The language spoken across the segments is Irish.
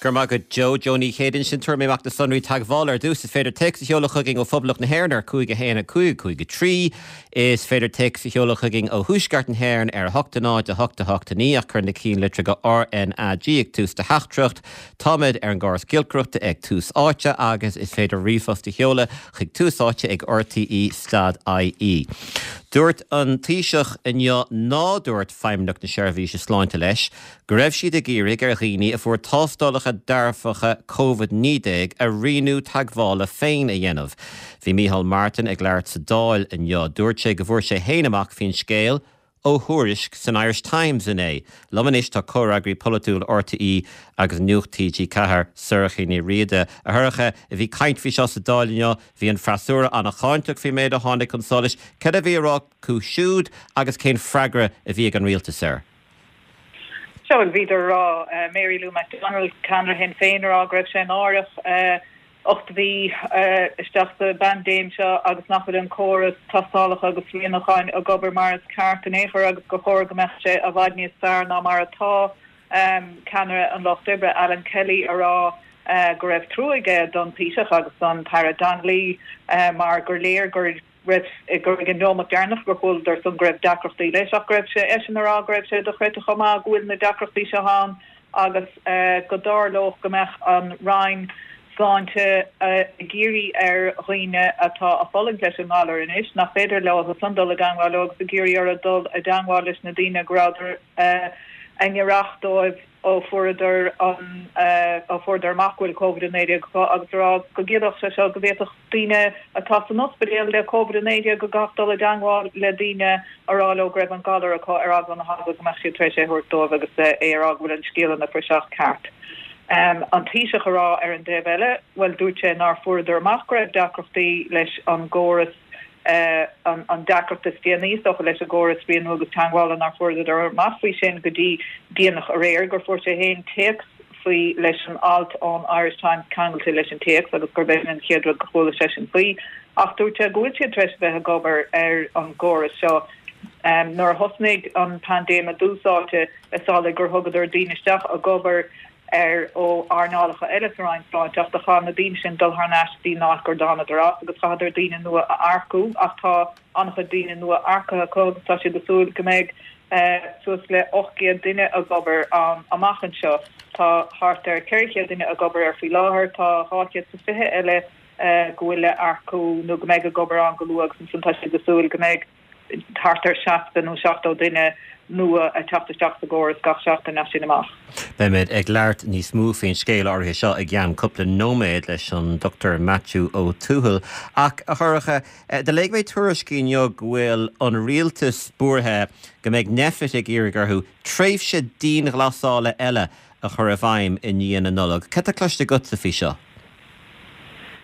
Go raibh maith agat Joe. Joe Ní Chéide ansin. Tabharfaidh mé amach na sonraí teagmhála ar dtús. Is féidir téacs a sheoladh chugainn ó Phoblacht na hÉireann ar 5 1 5 5 3. Is féidir téacs a sheoladh chugainn ó Thuaisceart na hÉireann ar 8 0 8 8 9 ach cuir na ceannlitreacha RnaG ag tús do theachtaireacht. Táimid ar an gcóras giolcaireachta ag Tús Áite agus is féidir ríomhphost a sheoladh chuig Tús Áite ag rte stad ie. Dúirt an Taoiseach inniu ná dúirt Feidhmeannacht na Seirbhíse Sláinte leis go raibh siad ag iarraidh ar dhaoine a fuair tástálacha dearfacha Covid-19 a rianú teagmhála féin a dhéanamh. Bhí Micheál Martin ag labhairt sa Dáil inniu. Dúirt sé go bhfuair sé féin amach faoin scéal ó thuairisc san Irish Times inné. Liom anois tá comhfhreagraí polaitiúil RTÉ agus Nuacht TG4, Sorcha Ní Riada. A Shorcha, bhí caint faoi seo sa Dáil inniu, bhí an freasúra an-cháinteach faoin méid a tháinig chun solais. Cad a bhí á rá acu siúd agus cén freagra a bhí ag an rialtas air? Sea, bhuel, bhíodar a rá, Mary Lou McDonald, ceannaire Shinn Féin, a rá go raibh sé náireach 8 mhí isteach sa bpaindéim seo agus nach bhfuil an córas tástálacha agus rianúcháin ag obair mar is ceart in aon chor agus gur chóir go mbeadh sé i bhfad níos fearr ná mar atá. Ceannaire an Lucht Oibre, Alan Kelly, a rá go raibh trua aige don Taoiseach agus don tAire Donnelly mar gur léir gur raibh, gur ag an neomat deireanach gur chualadar san go raibh deacrachtaí leis ach go raibh sé, eisean a rá go raibh sé dochreidte chomh maith go bhfuil na deacrachtaí seo ann agus go dtarlódh go mbeadh an Roinn Sláinte ag iarraidh ar dhaoine atá ag fulaingt leis an ngalar anois nach féidir leo san dul i dteangmháil leo agus ag iarraidh orthu dul i dteangmháil leis na daoine go rabhadar i ngiorracht dóibh ó fuaireadar an, ó fuaireadar amach go bhfuil Covid-19 acu agus a rá go gciallódh sé seo go bhféadfadh daoine atá san ospidéal le Covid-19 go gcaithfeadh dul i dteangmháil le daoine a rá leo go raibh an galar acu ar eagla na heagla go mbeadh siad tar éis é a thabhairt dóibh agus é a rá go bhfuil an scéal ina phraiseach ceart. An Taoiseach a rá ar an dtaobh eile, bhuel dúirt sé nár fuaireadar amach go raibh deacrachtaí leis an gcóras an deacracht is déanaí, is dócha, leis an gcóras rianú agus teagmhála nár fuaireadar amach faoi sin go dtí déanach aréir, gur fuair sé féin téacs faoi leis an alt ón Irish Times ceangailte leis an téacs agus gurb é sin an chéad rud go chuala seisean faoi. Ach dúirt sé go bhfuil siad tar éis a bheith ag obair ar an gcóras seo. Nuair a thosnaigh an paindéim i dtús áite, is amhlaidh gur thugadar daoine isteach ag obair ar ó earnálacha eile sa Roinn Sláinte ach do chaith na daoine sin dul thar n-ais dtí an áit gur dtánadar as agus chaitheadar daoine nua a earcú ach tá an-chuid daoine nua earcaithe acu agus tá siad ag súil go mbeidh suas le 800 duine ag obair ann amach anseo. Tá thart ar 400 duine ag obair air faoi láthair, tá 220 eile go bhfuil le earcú nó go mbeidh ag obair ann go luath agus ansan tá siad ag súil go mbeidh thart ar 60 nó 70 duine nua ag teacht isteach sa gcóras gach seachtain as sin amach. Beimid ag labhairt níos mó faoin scéal áirithe seo i gceann cúpla nóiméad leis an Dr Maitiú Ó Tuathail. Ach, a Shorcha, do léigh mé tuairiscí inniu go bhfuil an rialtas buartha go mbeidh Nphet ag iarraidh orthu tréimhse dianghlasála eile a chur i bhfeidhm i ndiaidh na Nollag. Cad tá cloiste agatsa faoi seo?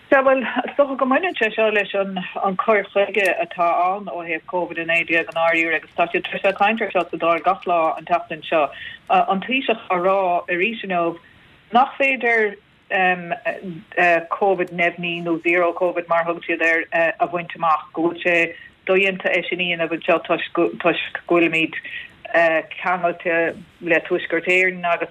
Sea, bhuel, is dócha go mbaineann sé seo leis an an cur chuige atá ann ó thaobh Covid-19 i ndáiríre agus tá siad tar éis bheith ag caint air seo sa Dáil gach lá an tseachtain seo. An Taoiseach á rá arís inniu nach féidir Covid neamhní nó Zero Covid mar a thugann siad air a bhaint amach, go bhfuil sé dodhéanta é sin a dhéanamh anseo toisc go bhfuilimid ceangailte le Tuaisceart Éireann agus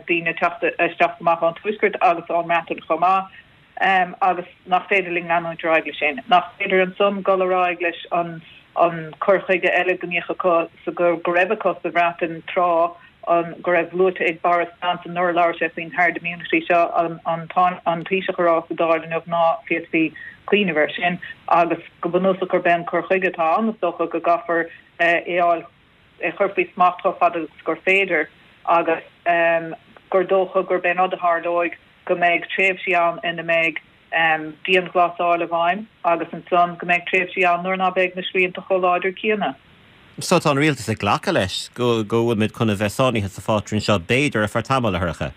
daoine ag teacht isteach is amach ón Tuaisceart agus ón mBreatain chomh maith, agus nach féidir linn leanúint ar aghaidh leis sin. Nach féidir ansan dul ar aghaidh leis an an cur chuige eile go mbíodh acu sa go raibh acu sa Bhreatain tráth an go raibh luaite ag Boris Johnson nuair a labhair sé faoin herd immunity seo an an an Taoiseach a rá sa Dáil inniu ná féadfaí cuimhneamh air sin agus go bunúsach gurb é an cur chuige atá ann is dócha go gcaithfear é a fháil é a chur faoi smacht chomh fada agus gur féidir agus gur dócha gurb é an rud a tharlóidh go mbeidh tréimhsí ann ina mbeidh dianghlasáil i bhfeidhm agus ansan go mbeidh tréimhsí ann nuair ná beidh na srianta chomh láidir céanna. So tá an rialtas ag glacadh leis go go bhfuilmid chun a bheith sáinnithe sa phátrún seo b'fhéidir ar feadh tamaill, a Shorcha.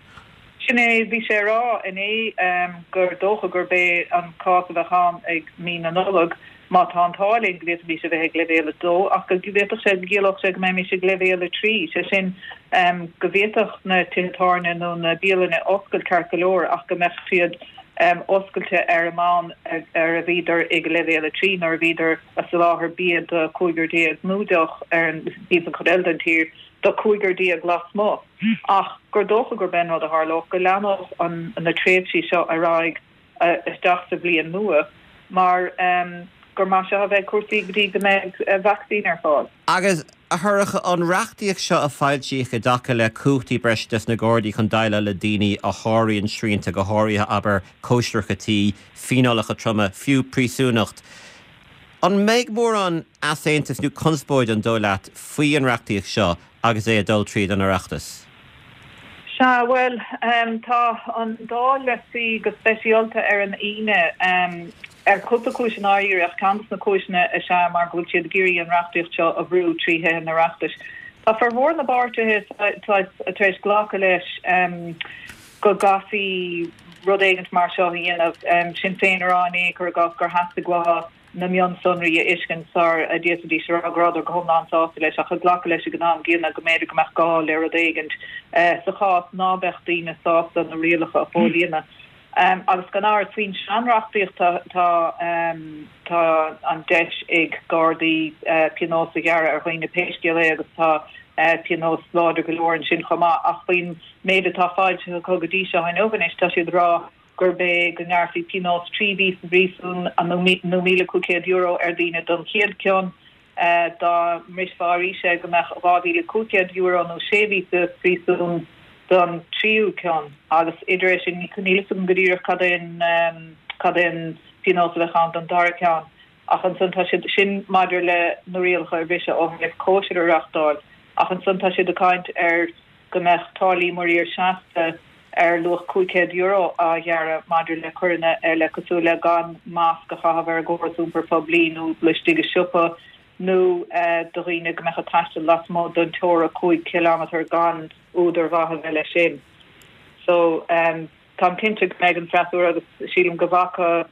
Sin é, bhí sé a rá inné gur dócha gurb é an cás a bheadh ann ag mí na Nollag, má tá an t-ádh linn, go bhféadfaimis a bheith ag leibhéal 2, ach go bhféadfadh sé go gciallódh sé go mbeimis ag leibhéal 3, sé sin go bhféadfadh na tithe tábhairne nó na bialanna oscailt ceart go leor ach go mbeadh siad. oscailte ar an mbonn ar a bhíodar ag leibhéal 3 nuair a bhíodar a soláthar bia do 15 nó deoch ar an taobh an chuid eile den tír do 15 lasmuigh ach gur dócha gurb é an rud a tharlódh go leanódh an na tréimhsí seo ar aghaidh isteach sa bhliain nua mar gur mar seo a bheidh cúrsaí go dtí go mbeidh vacsaín ar fáil. Agus, a Shorcha, an reachtaíocht seo a foilsíodh i dtaca le cumhachtaí breise dos na Gardaí chun déileáil le daoine a sháraíonn srianta, go háirithe, abair, cóisireacha tí, fíneálacha troma, fiú príosúnacht, an mbeidh mórán easaontais nó conspóide, an dóigh leat, faoi an reachtaíocht seo agus é ag dul tríd an Oireachtas? Sea, bhuel, tá an Dáil le suí go speisialta ar an Aoine, ar chúpla cúis i ndáiríre, ach ceann de na cúiseanna is ea mar go bhfuil siad ag iarraidh an reachtaíocht seo a bhrú trí Thithe an Oireachtais. Tá formhór na bpáirtithe tar éis glacadh leis go gcaithfí rud éigint mar seo a dhéanamh, Sinn Féin a rá inné, cuir i gcás, gur theastaigh uathu na mionsonraí a fheiscint sar a d'fhéadfaidís a rá go rabhadar go hiomlán sásta leis, ach ag glacadh leis ag an am gcéanna go mb'fhéidir go mbeadh gá le rud éigint sa chás ná beadh daoine sásta na rialacha a chomhlíonadh. Agus gan amhras, faoin seanreachtaíocht tá tá an deis ag Gardaí pionós a ghearradh ar dhaoine pé scéal é agus tá pionós láidir go leor ansin chomh maith, ach faoin méid atá foilsithe acu go dtí seo inniu anois tá siad ag rá gurb é go ngearrfaí pionós 3 mhí sa bpríosún nó €1,500 ar dhaoine don chéad cion, dá mbrisfeá arís é go mbeadh €2,500 nó 6 mhí sa phríosún don tríú cion agus idir é sin, níl a fhios agam go díreach cad é an cad é an pionós a bheadh ann don dara ceann ach ansan tá siad, sin maidir le na rialacha a bhriseadh ó thaobh cóisir a reachtáil ach ansan tá siad ag caint ar go mbeadh táillí muirir seasta ar luach €500 á ghearradh maidir le coireanna eile cosúil le gan masc a chaitheamh ar an gcóras iompair phoiblí nó laistigh i siopa nó do dhaoine go mbeadh ag taisteal lasmuigh den teora 5 chileámetar gan údar mhaith a bheith leis sin. So, táim cinnte go mbeidh an freasúra agus sílim go bhfaca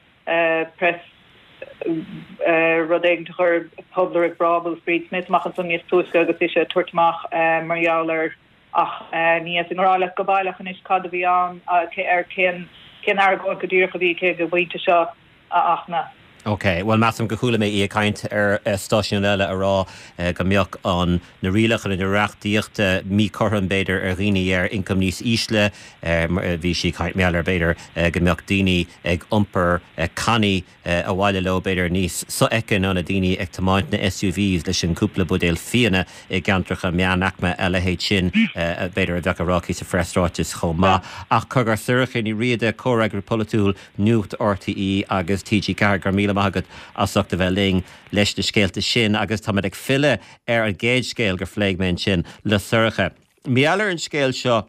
press rud éigin a chuir Pobal Roimh Bhrábús Bríd Smith amach ansan níos túisce agus ise ag tabhairt amach mar gheall air ach ní fhéadfainn a rá leat go baileach anois cad a bhí ann ar cén cén argóint go díreach a bhí aici ag an bpointe seo a Fhachtna. Ok, bhuel measaim gur chuala mé í ag caint ar stáisiún eile a rá go mbeadh an na rialacha na reachtaíochta míchothrom b'fhéidir ar dhaoine ar ioncam níos ísle, bhí sí ag caint mar gheall ar b'fhéidir go mbeadh daoine ag iompar cannaí abhaile leo, b'fhéidir, níos sofheicthe ná na daoine ag tiomáint na SUVs leis an gcúpla buidéal fíona i gceantracha meánaicme, a leithéid sin, b'fhéidir, a bheadh á rá aici sa phreasráiteas chomh maith. Ach cogar, Sorcha Ní Riada, Comhfhreagraí Polaitiúil Nuacht RTÉ agus TG4, go raibh míle maith agat as ucht a bheith linn leis na scéalta sin agus táimid ag filleadh ar an gcéad scéal gur phléigh mé ansin le Sorcha. Mar gheall ar an scéal seo,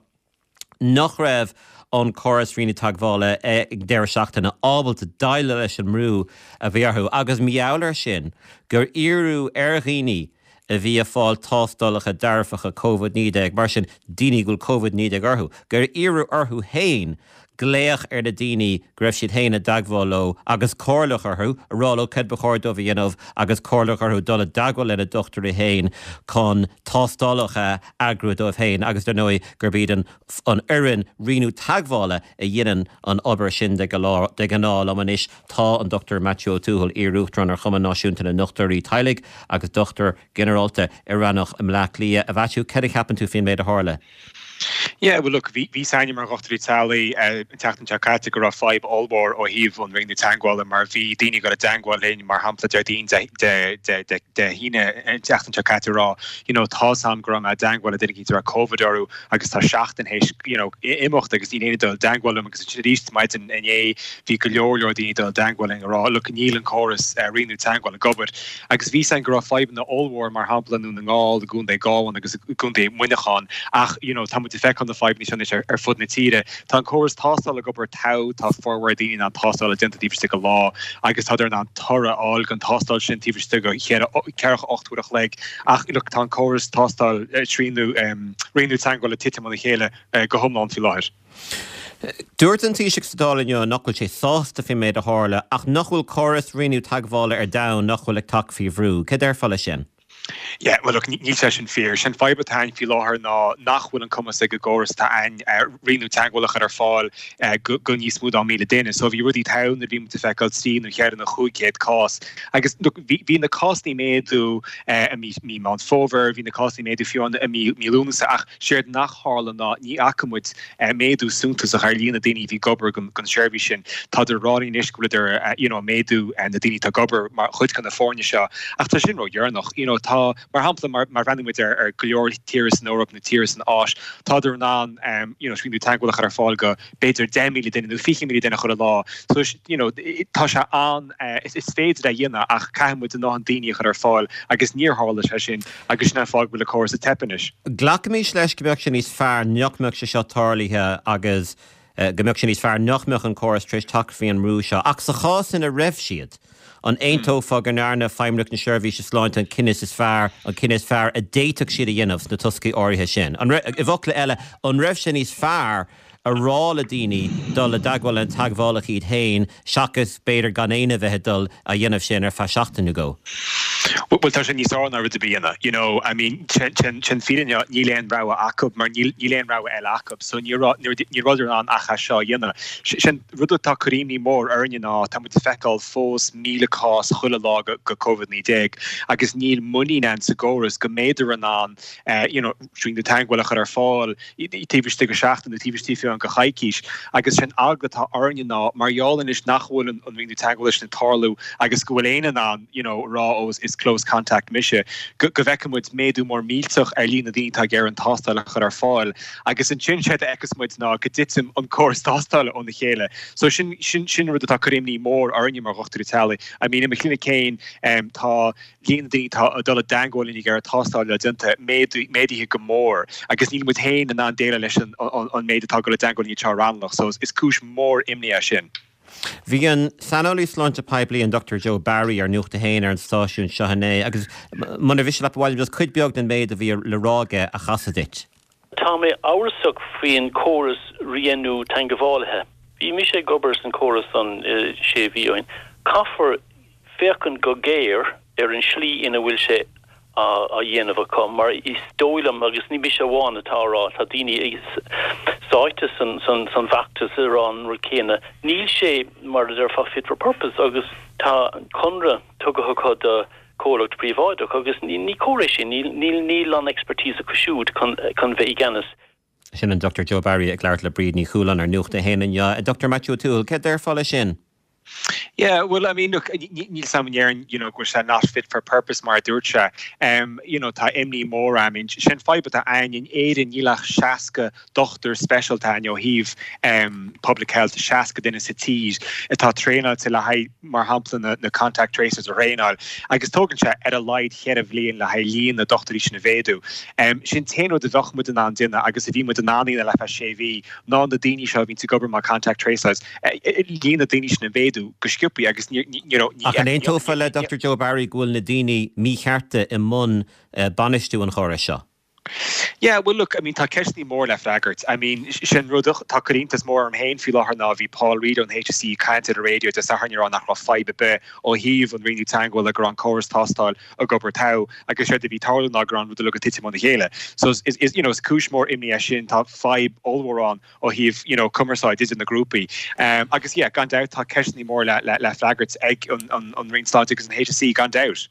nach raibh an córas rianú teagmhála ag an deireadh seachtaine ábalta déileáil leis an mbrú a bhí orthu agus mar gheall air sin gur iarradh ar dhaoine a bhí ag fáil tástálacha dearfacha Covid-19, mar sin daoine go bhfuil Covid-19 orthu, gur iarradh orthu féin glaoch ar na daoine go raibh siad féin i dteagmháil leo agus comhairleach orthu, a rá leo céard ba chóir dóibh a dhéanamh agus comhairleach orthu dul i dteagmháil lena ndochtúirí féin chun tástálacha a eagrú dóibh féin agus dar ndóigh gurb iad an an fhoireann rianú teagmhála a dhéanann an obair sin de ghnáth. Liom anois tá an Dr Maitiú Ó Tuathail, iar-Uachtarán ar Chumann Náisiúnta na nDochtúirí Teaghlaigh agus dochtúir ginearálta i rannóg i mBleá Cliath. A Mhaitiú, céard a cheapann tú faoin méid a tharla? Yeah, well look, bhí fhios againne mar dhochtúirí teaghlaigh an tseachtain seo caite go raibh fadhb ollmhór ó thaobh an rianú teagmhála mar bhí daoine ag dul i dteagmháil linn, mar shampla Déardaoin, Dé hAoine an tseachtain seo caite ag rá, you know, tá's a'm go raibh mé i dteagmháil le duine éicint a raibh Covid orthu agus tá seachtain théis, you know, imeacht agus níl éinne ag dul i dteagmháil liom agus ansin arís maidin inné bhí go leor leor daoine ag dul i dteagmháil linn ag rá, look, níl an córas rianú teagmhála ag obair. Agus bhí fhios againn go raibh fadhbanna ollmhór, mar shampla i nDún na nGall, i gContae Ghabháin agus i gContae Mhuineacháin, ach you know tá muid ag feiceáil na fadhbanna seo anois ar fud na tíre. Tá an córas tástála ag obair togha, tá formhór daoine in ann tástáil a déanamh taobh istigh de lá agus tádar in ann toradh a fháil den tástáil sin taobh istigh de 48 uair a chloig ach look tá an córas tástáil srianú rianú teagmhála ag titim óna chéile go hiomlán faoi láthair. Dúirt an Taoiseach sa Dáil inniu nach bhfuil sé sásta faoin méid a tharla ach nach bhfuil córas rianú teagmhála ar domhan nach bhfuil ag teacht faoi bhrú. Céard a déarfá leis sin? Yeah, well look, níl sé sin fíor. Sé'n fadhb atá ann faoi láthair ná nach bhfuil an cumas ag an gcóras atá ann rianú teagmhála a chur ar fáil go níos mó ná 1,000 duine. So bhí rudaí togha nuair a bhí muid ag feiceáil 3 nó 4 nó 500 cás. Agus look, bhí, bhí na cásanna ag méadú i mí, mí Meán Fómhair, bhí na cásanna ag méadú fiú i mí, mí Lúnasa ach séard nach tharla ná ní fhaca muid méadú suntasach ar líon na daoine a bhí ag obair don seirbhís sin. Tádar ag rá linn anois go bhfuileadar you know ag méadú na daoine atá ag obair mar chuid de na foirne seo ach tá sin ródheireanach. You know tá, mar shampla, mar má bhreathnaíonn muid ar ar go leor tíortha san Eoraip nó tíortha san Áis, tádar in ann you know srianú teagmhála a chur ar fáil go b'fhéidir 10,000 duine nó 20,000 duine chuile lá. So you know tá sé an, is féidir é a dhéanamh ach caithfidh muid a ndóthain daoine a chur ar fáil agus níor tharla sé sin. Agus sin an fáth go bhfuil an córas ag teip anois. Glacaimis leis go mbeadh sé níos fearr nach mbeadh sé seo tarlaithe agus go mbeadh sé níos fearr nach mbeadh an córas tar éis teacht faoi an mbrú seo. Ach sa chás ina raibh siad, an aontófá go ndearna Feidhmeannacht na Seirbhíse Sláinte an cinneadh is fearr, an cinneadh is fearr a d'fhéadfadh siad a dhéanamh sna toscaí áirithe sin? An raibh, i bhfocla eile, an raibh sé níos fearr a rá le daoine dul i dteagmháil le teagmhálacha iad féin seachas b'fhéidir gan éinne a bheith ag dul a dhéanamh sin ar feadh seachtain nó dhó. Bhuel tá sé níos fearr ná rud ar bith a dhéanamh, you know, I mean sé'n fírinne níl aon rogha acu mar níl níl aon rogha eile acu so ní raibh ní rabhadar in ann ach é seo a dhéanamh. Sé'n rud atá ag cur imní mór orainne ná tá muid ag feiceáil fós 1,000 cás chuile lá go go Covid-19 agus níl muinín ann sa gcóras go mbeidar in ann you know srianú teagmhála a chur ar fáil taobh istigh de sheachtain nó taobh istigh fiú amháin de choicís. Agus sé'n eagla atá orainne ná mar gheall anois nach bhfuil an rianú teagmhála sin ag tarlú agus go bhfuil éinne in ann you know rá ó is close contact mise, go bhfeicfidh muid méadú mór millteach ar líon na daoine atá ag iarraidh an tástáil a chur ar fáil. Agus ansin séard a fheicfeas muid ná go dtiteann an córas tástála óna chéile. So sin sin sin rud atá ag cur imní mór orainne mar dhochtúirí teaghlaigh. I mean i mo chlinic féin tá líon na daoine atá ag dul i dteagmháil linn ag iarraidh tástáil a fháil déanta, méadaithe go mór agus níl muid féin in ann déileáil leis an méid atá ag dul i dteagmháil linn anseo i Raghnallach so is cúis mhór imní é sin. Bhí an saineolaí sláinte poiblí, an Dr Joe Barry, ar Nuacht a hAon ar an stáisiún seo inné agus muna mhiste leat ba mhaith liom just cuid beag den méid a bhí le rá aige a chasadh duit. Tá mé amhrasach faoin córas rianú teagmhálaithe. Bhí mise ag obair san córas san sé mhí ó shin. Caithfear féachaint go géar ar an slí ina bhfuil sé á dhéanamh acu mar is dóigh liom, agus ní mise amháin atá á rá, tá daoine sáite san bhfeachtas ag rá an rud céanna, níl sé mar a déarfá fit for purpose agus tá conradh tugtha acu do comhlacht príobháideach agus ní cóir é sin, níl an expertise acu siúd chun bheith i gceannas. Sin an Dr Joe Barry ag labhairt le Bríd Ní Chualáin ar Nuacht a hAon inniu. Dr Maitiú Ó Tuathail, céard déarfá leis sin? Yeah, well, I mean, look, níl 's a'm an ndéarfainn, you know, go bhfuil sé not fit for purpose mar a dúirt sé. Um, you know, tá imní mór I mean, sé'n fadhb atá ann in Éirinn níl ach 60 dochtúir speisialta ann ó thaobh um, public health, 60 duine sa tír atá traenáilte le haghaidh mar shampla na na contact tracers a thraenáil agus tógann sé ar a laghad cheithre bhliain le haghaidh líon na dochtúirí sin a mhéadú. Sé'n t-aon rud a bheadh muid in ann déanamh agus a bhí muid in ann a dhéanamh le feadh sé mhí ná na daoine seo a bhíonns ag obair mar contact tracers, líon na daoine sin a mhéadú go sciobthaí agus ní you know ní Ach an aontófá le Dr Joe Barry go bhfuil na daoine míchearta i mbun bainistiú an chórais seo? Yeah, well look, I mean tá ceisteanna mór le freagairt. I mean sé'n rud atá ag cur iontas mór orm féin faoi láthair ná bhí Paul Reid ón HSE ag caint ar an raidió Dé Sathairn ag rá nach raibh fadhb ar bith ó thaobh an rianú teagmhála go raibh an córas tástáil ag obair togha agus séard a bhí ag tarlú ná go raibh an rud uilig ag titim óna chéile. So is, is, you know, is cúis mór imní é sin, tá fadhb ollmhór ann ó thaobh, you know, cumarsáid idir na grúpaí. Um, agus yeah, gan dabht tá ceisteanna mór le, le, le freagairt ag an, an, an Roinn Sláinte agus an HSE gan dabht.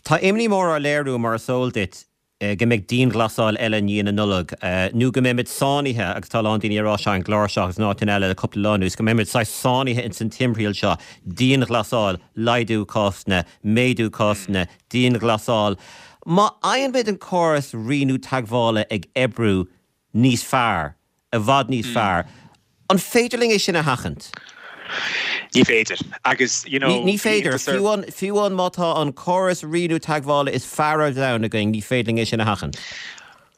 Tá imní mór á léiriú, mar is eol duit, go mbeidh dianghlasáil eile i ndiaidh na Nollag, nó go mbeimid sáinnithe, agus tá a lán daoine ag rá seo ar an gclár seo agus in áiteanna eile le cúpla lá anuas, go mbeimid saghas sáinnithe ins an timthriall seo, dianghlasáil, laghdú cásanna, méadú cásanna, dianghlasáil. Má fhaigheann muid an córas rianú teagmhála ag oibriú níos fearr, i bhfad níos fearr. An féidir linn é sin a sheachaint? Ní féidir. Agus, you know, Ní féidir. Fiú an, fiú an má tá an córas rianú teagmhála is fearr ar domhan againn, ní féidir linn é sin a sheachaint.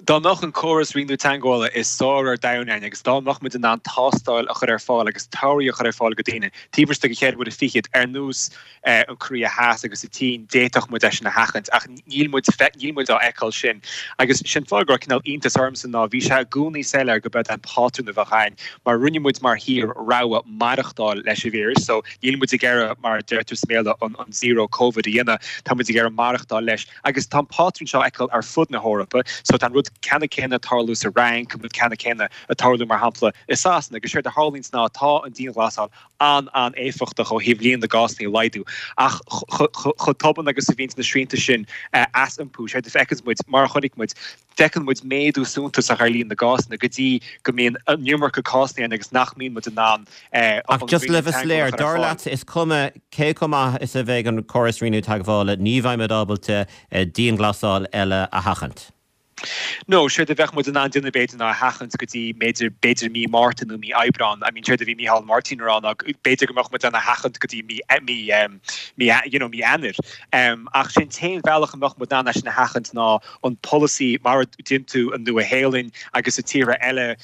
Dá mbeadh an córas rianú teagmhála is fearr ar domhan ann agus dá mbeadh muid in ann tástáil a chur ar fáil agus torthaí a chur ar fáil go daoine taobh istigh de cheithre huaire fichead ar nós an Korea Theas agus an tSín, d'fhéadfadh muid é sin a sheachaint ach níl muid níl muid á fheiceáil sin. Agus sin fáth go raibh cineál iontas ormsa ná bhí sé i gcónaí soiléir go b'é an pátrún a bheadh ann mar rinne muid mar thír rogha maireachtáil leis an víreas so níl muid ag iarraidh mar a deirtear sa mBéarla an zero covid a dhéanamh, tá muid ag iarraidh maireachtáil leis. Agus tá an pátrún seo á fheiceáil ar fud na hEorpa, so tá an rud ceannann céanna ag tarlú sa Fhrainc, an rud ceannann céanna ag tarlú, mar shampla, i Sasana. Agus séard a tharlaíonns ná tá an dianghlasáil an-an-éifeachtach ó thaobh líon na gcásanna a laghdú, ach chomh tobann agus a bhíonns na srianta sin as iompú, séard a fheiceanns muid, mar a chonaic muid, Feiceann muid méadú suntasach ar líon na gcásanna go dtí go mbíonn an iomarca cásanna ann agus nach mbíonn muid in ann an Ach just le bheith soiléir, dar leatsa, is cuma cé chomh maith is a bheidh an córas rianú teagmhála, ní bheidh muid ábalta dianghlasáil eile a sheachaint. No, séard a bheadh muid in ann déanamh b'fhéidir ná a sheachaint go dtí b'fhéidir, b'fhéidir mí Márta nó mí Aibreán. I mean séard a bhí Micheál Martin a rá ná b'fhéidir go mbeadh muid in ann a sheachaint go dtí mí, mí, mí, you know, mí Eanáir. Ach sé'n t-aon bhealach a mbeadh muid in ann é sin a sheachaint ná an polasaí mar a dhein tú i Nua Shéalainn agus i tíortha eile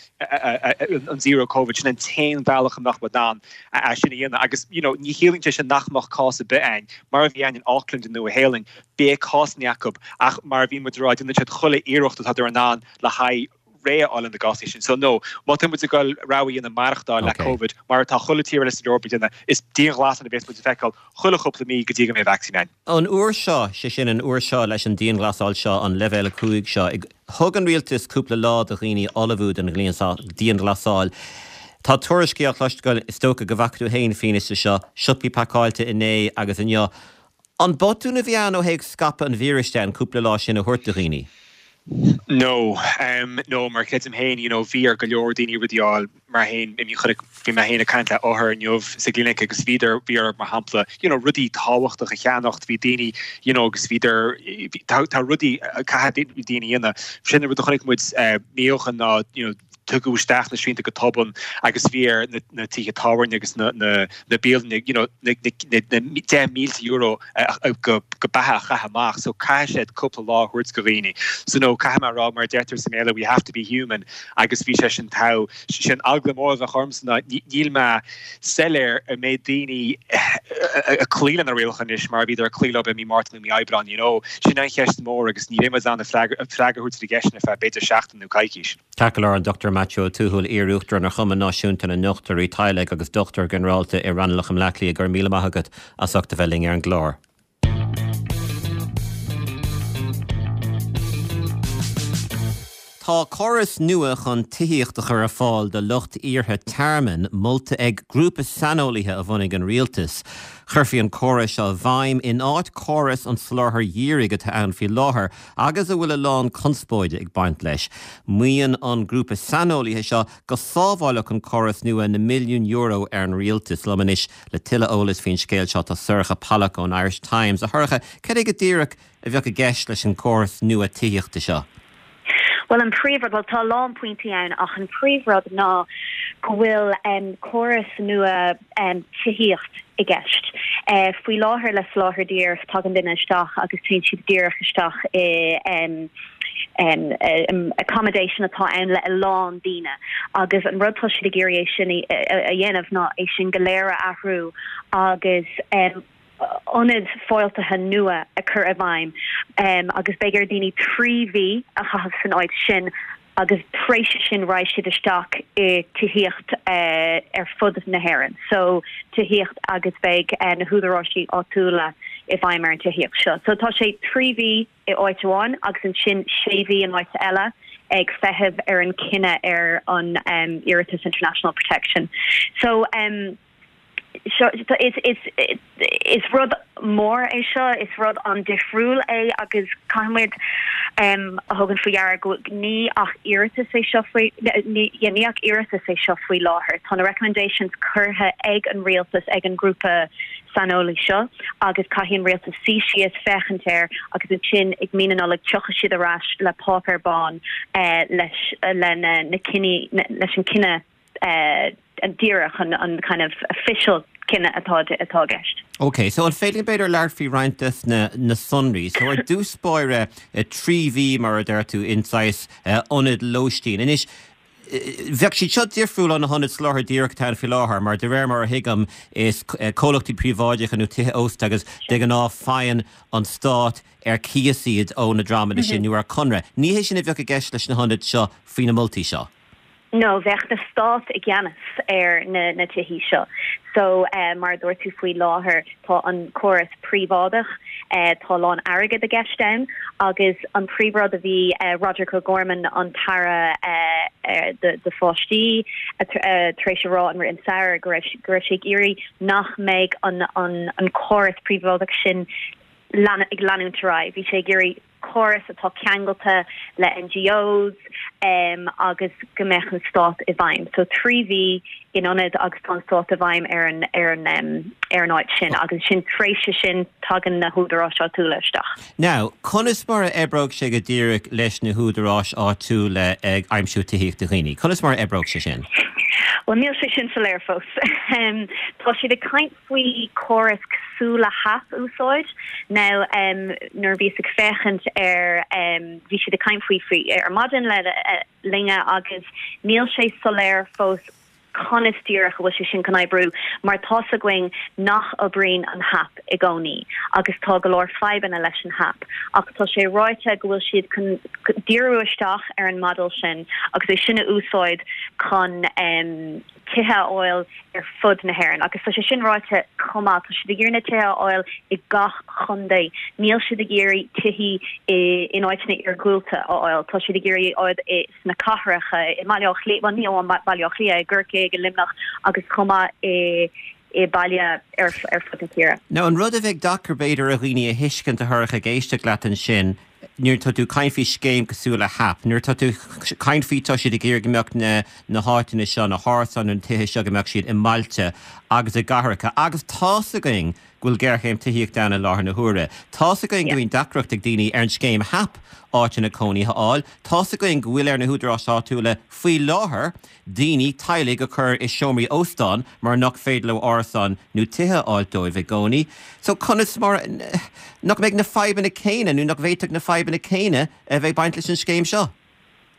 an zero covid, sin an t-aon bhealach a mbeadh muid in ann é sin a dhéanamh agus you know ní chiallaíonn sé sin nach mbeadh cás ar bith ann. Mar a bhí ann in Auckland i Nua Shéalainn, beidh cásanna acu ach mar a bhí muid a rá, déanann siad chuile iarracht atá in ann le haghaidh réidh a fháil le na gcásanna sin. So no, má tá muid ag goil rogha a dhéanamh maireachtáil le Covid mar atá chuile tír eile san Eoraip ag déanamh, is dianghlasáil a bhéas muid ag feiceáil chuile chúpla mí go dtí go mbeidh vacsaín ann. An uair seo, sé sin an uair seo leis an dianghlasáil seo, an leibhéal 5 seo, thug an rialtas cúpla lá do dhaoine ullmhú don dianghlasáil. Tá tuairiscí á chloisteáil, is dócha go bhfaca tú féin fianaise seo, siopaí pacáilte inné agus inniu. An botún a bhí ann ó thaobh scaipeadh an víris de an cúpla lá sin a thabhairt do dhaoine? No, no, mar creidim féin, you know, bhí ar go leor daoine rudaí a fháil mar féin, I mean, chonaic, bhí mé féin ag caint le othair inniu sa gclinic agus bhíodar, bhí orthu, mar shampla, you know, rudaí tábhachtacha a cheannacht, bhí daoine, you know, agus bhíodar, tá, tá rudaí a caithfidh daoine a dhéanamh. Sin an rud a chonaic muid mí ó shin ná, you know, tugadh isteach na srianta go tobann agus bhí ar na tithe tábhairne agus na bialanna you know na €10,000 go beatha a chaitheamh amach so caithfidh siad cúpla lá a thabhairt go dhaoine. So no caithfidh mé a rá mar a deirtear sa mBéarla we have to be human agus bhí sé sin togha. Sin eagla mór a bheadh ormsa ná níl mé soiléir an mbeidh daoine ag cloí le na rialacha anois mar a bhíodar ag cloí leo i mí Márta nó mí Aibreáin you know. Sin an cheist mór agus ní bheidh muid in ann freagra a thabhairt ar an gceist sin ar feadh b'fhéidir seachtain nó coicís. Ceart go leor, an Dr Maitiú Ó Tuathail, Iar-Uachtarán ar Chumann Náisiúnta na nDochtúirí Teaghlaigh agus Dochtúir Ginearálta i Raghnallach i mBleá Cliath, go raibh míle maith agat as ucht a bheith linn ar an gclár. Tá córas nua chun tithíocht a chur ar fáil do lucht iarrtha tearmainn molta ag grúpa saineolaithe a bhunaigh an rialtas. Chuirfí an córas seo i bhfeidhm in áit córas an tsoláthair dhírigh atá ann faoi láthair agus a bhfuil a lán conspóide ag baint leis. Maíonn an grúpa saineolaithe seo go sábhálfadh an córas nua na milliúin euro ar an rialtas. Liom anois le tuilleadh eolais faoin scéal seo tá Sorcha Pollak ón Irish Times. A Shorcha, cad é go díreach a bheadh i gceist leis an gcóras nua tithíochta seo? Bhuel, an príomhrud, bhuel tá a lán pointí ann ach an príomhrud ná go bhfuil córas nua tithíocht i gceist. Faoi láthair le soláthar díreach tagann duine isteach agus téann siad díreach isteach i accommodation atá ann le a lán daoine agus an rud tá siad ag iarraidh é sin a dhéanamh ná é sin go léir a athrú agus ionaid fáiltithe nua a chur i bhfeidhm agus beidh ar daoine 3 mhí a chaitheamh san áit sin agus tar éis sin raghaidh siad isteach i tithíocht ar fud na hÉireann. So tithíocht agus beidh na húdaráisí áitiúla i bhfeidhm ar an tithíocht seo. So tá sé 3 mhí i áit amháin agus ansin 6 mhí in áit eile ag feitheamh ar an cinneadh ar an iarratas International Protection. So um, seo is is is rud mór é seo, is rud an-difriúil é agus caithfidh muid a thabhairt faoi deara go ní ach iarratas é seo faoi ní ní ach iarratas é seo faoi láthair. Tá na recommendations curtha ag an rialtas ag an grúpa saineolaí seo agus caithfidh an rialtas suí síos féachaint air agus ansin ag mí na Nollag tiocfaidh siad ar ais le páipéar bán leis le na na cinní leis an cinneadh díreach an an kind of official. Cinneadh atá atá i gceist. Ok, so an féidir linn b'fhéidir labhairt faoi roinnt des na na sonraí? So ar dtús báire, 3 mhí mar a deir tú in saghas ionad lóistín. Anois, bheadh siad seo difriúil ó na hionaid soláthair dhíreach atá ann faoi láthair mar de réir mar a thuigim is comhlachtaí príobháideacha nó tithe ósta agus de ghnáth faigheann an stát ar cíos iad ó na dreamanna sin nó ar conradh. Ní hé sin a bheadh i gceist leis na hionaid seo faoi na moltaí seo. No, bheadh na stát i gceannas ar na na tithí seo. So, mar a dúirt tú faoi láthair tá an córas príobháideach, tá a lán airgead i gceist ann agus an príomhrud a bhí Roderic O'Gorman, an tAire do pháistí, tar éis a rá an rith an samhradh go raibh go raibh sé ag iarraidh nach mbeidh an an an córas príobháideach sin ag leanúint ar aghaidh. Bhí sé ag iarraidh córas atá ceangailte le NGOs agus go mbeadh an stát i bhfeidhm. So 3 mhí in ionad agus tá an stát i bhfeidhm ar an ar an ar an áit sin agus ansin tréis sin tagann na húdaráis áitiúla isteach. Now, conas mar a oibreoidh sé go díreach leis na húdaráis áitiúla ag aimsiú tithíocht do dhaoine? Conas mar a oibreoidh sé sin? Bhuel, níl sé sin soiléir fós. Tá siad ag caint faoi córas cosúil le HAP a úsáid. Now nuair a bhíos ag féachaint ar bhí siad ag caint faoi faoi ar maidin le linne agus níl sé soiléir fós conas díreach a bhfuil sé sin chun oibriú mar tá's againn nach oibríonn an HAP i gcónaí agus tá go leor fadhbanna leis an HAP ach tá sé ráite go bhfuil siad chun díriú isteach ar an model sin agus é sin a úsáid chun tithe a fháil ar fud na hÉireann agus tá sé sin ráite chomh maith, tá siad ag iarraidh na tithe a fháil i gach chontae, níl siad ag iarraidh tithí in áiteanna iargúlta a fháil, tá siad ag iarraidh fháil i sna cathracha, i mBaile Átha Cliath, bhuel ní amháin Baile Átha Cliath, i gCorcaigh, i Luimneach agus chomh maith i i baile ar ar fud na tíre. Now an rud a bheidh deacair b'fhéidir ar dhaoine a thuiscint a Shorcha ag éisteacht leat ansin, nuair atá tú ag caint faoi scéim cosúil le HAP, nuair atá tú ag caint faoi tá siad ag iarraidh go mbeadh na na háiteanna seo, na hárasáin nó na tithe seo go mbeadh siad i mbailte agus i gcathracha agus tá's againn go bhfuil géarchéim tithíochta ann i láthair na huaire. Tá's againn go mbíonn deacracht ag daoine ar an scéim HAP áiteanna cónaithe a fháil. Tá's againn go bhfuil ar na húdaráis áitiúla faoi láthair daoine, teaghlaigh a chur i seomraí óstán mar nach féidir leo árasáin nó tithe a fháilt dóibh i gcónaí. So conas mar, nach mbeidh na fadhbanna céanna nó nach bhféadfadh na fadhbanna céanna a bheith ag baint leis an scéim seo?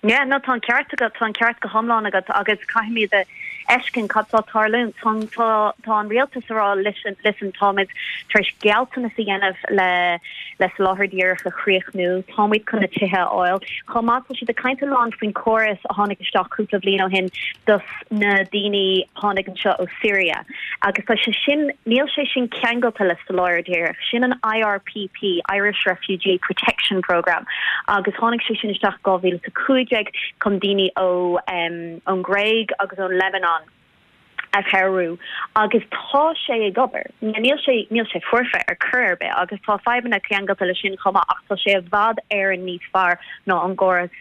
Yeah, no, tá an ceart agat, tá an ceart go hiomlán agat agus caithfimid a fheiscint cad tá ag tarlúint. Tá, tá, tá an rialtas ag rá listen, listen, táimid tar éis gealltanas a dhéanamh le, le soláthar díreach a chríochnú. Táimid chun na tithe a fháil. Chomh maith, tá siad ag caint a lán faoin chóras a tháinig isteach cúpla bliain ó shin dos na daoine a tháinig anseo ó Syria. Agus tá sé sin, níl sé sin ceangailte le soláthar díreach. Sin an IRPP, Irish Refugee Protection Programme, agus tháinig sé sin isteach 2015 chun daoine ó ón nGréig agus ón Lebanon a chabhrú agus tá sé ag obair. Níl sé, níl sé foirfe ar chor ar bith agus tá fadhbanna ceangailte leis sin chomh maith ach tá sé i bhfad Éireann níos fearr ná an gcóras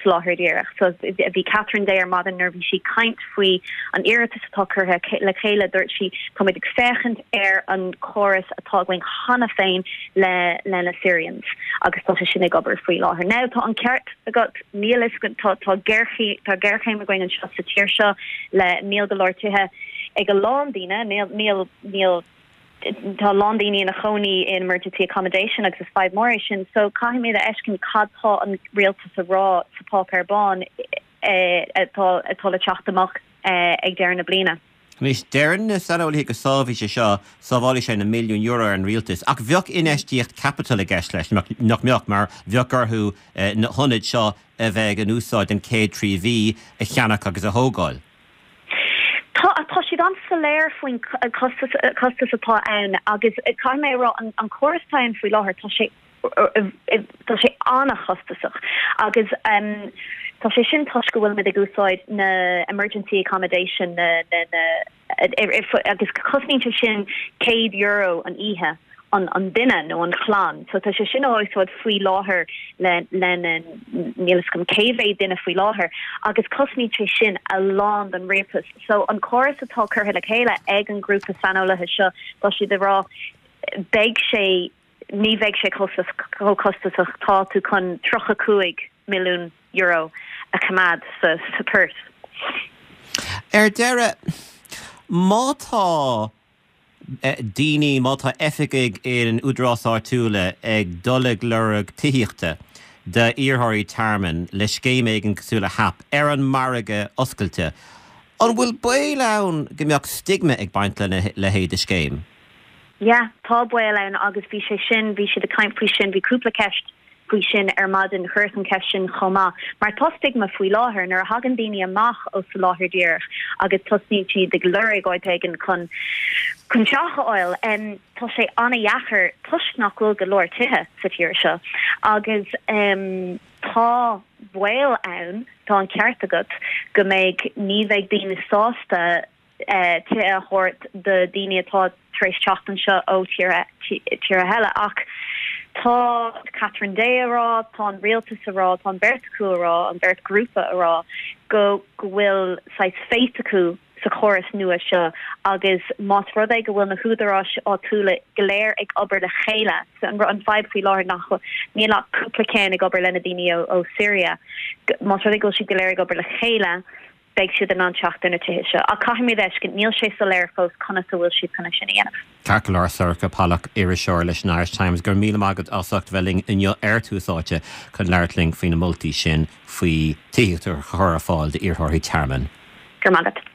soláthair díreach. So bhí Catherine Day ar maidin nuair a bhí sí ag caint faoi an iarratas atá curtha le chéile dúirt sí táimid ag féachaint ar an chóras atá againn cheana féin le le na Syrians agus tá sé sin ag obair faoi láthair. Now tá an ceart agat Níl fhios againn, tá, tá géarchéim, tá géarchéim againn anseo sa tír seo le, níl go leor tithe ag a lán daoine, níl, níl, níl, tá a lán daoine ina chónaí in emergency accommodation agus is fadhb mór é sin. So caithfimid a fheiscint cad tá an rialtas a rá sa páipéar bán atá, atá le teacht amach ag deireadh na bliana. Anois, deireann na saineolaithe go sábhfaidh sé seo, sábhálfaidh sé na milliúin euro ar an rialtas, ach bheadh infheistíocht caipitil i gceist leis, nach mbeadh, mar bheadh orthu na hionaid seo a bheidh in úsáid don chéad 3 mhí a cheannach agus a thógáil. Tá, tá siad an-soiléir faoin costas, costas atá ann agus caithfidh mé a rá, an córas atá ann faoi láthair, tá sé Tá sé an-chostasach agus tá sé sin toisc go bhfuilimid ag úsáid na emergency accommodation na na agus cosnaíonn sé sin €100 an oíche an an duine nó an chlann. So tá sé sin á úsáid faoi láthair le le na níl fhios agam cé mhéad duine faoi láthair agus cosnaíonn sé sin a lán don rialtas. So an córas atá curtha le chéile ag an grúpa saineolaithe seo tá siad ag rá beidh sé ní bheidh sé chomh costasach, tá tú chun €35 milliún a choimeád sa purse. Ar deireadh, má tá. daoine, má tá oifigigh in údaráis áitiúla ag dul ag lorg tithíochta d'iarrthóirí tearmainn le scéim éigin cosúil le HAP ar an margadh oscailte, an bhfuil baol ann go mbeadh stigma ag baint lena leithéid de scéim? Yeah, tá baol ann agus bhí sé sin, bhí siad ag caint faoi sin, bhí cúpla ceist faoi sin ar maidin, chuireas an cheist sin chomh maith, mar tá stigma faoi láthair nuair a thagann daoine amach ó soláthar díreach agus tosnaíonn siad ag lorg áit éigin chun chun teach a fháil, tá sé an-dheacair toisc nach bhfuil go leor tithe sa tír seo agus tá baol ann, tá an ceart agat, go mbeidh, ní bheidh daoine sásta tithe a thabhairt do daoine atá tar éis teacht anseo ó tíortha eile. Ach tá Catherine Day a rá, tá an rialtas a rá, tá an bheirt acu a rá, an bheirt ghrúpa a rá go go bhfuil saghas faith acu sa chóras nua seo agus más rud é go bhfuil na húdaráis áitiúla go léir ag obair le chéile, an fadhb faoi láthair nach níl ach cúpla ceann ag obair lena daoine ó Syria, más rud é go bhfuil siad go léir ag obair le chéile, beidh siad in ann teacht ar na tithe seo. Ach caithfimid a fheiscint, níl sé soiléir fós conas a bhfuil siad chun é sin a dhéanamh. Ceart go leor, Sorcha Pollak, iriseoir leis an Irish Times, go raibh míle maith agat as ucht bheith linn inniu ar Tús Áite chun labhairt linn faoi na moltaí sin faoi tithíocht a chur ar fáil d'iarrthóirí tearmainn. Go raibh maith agat.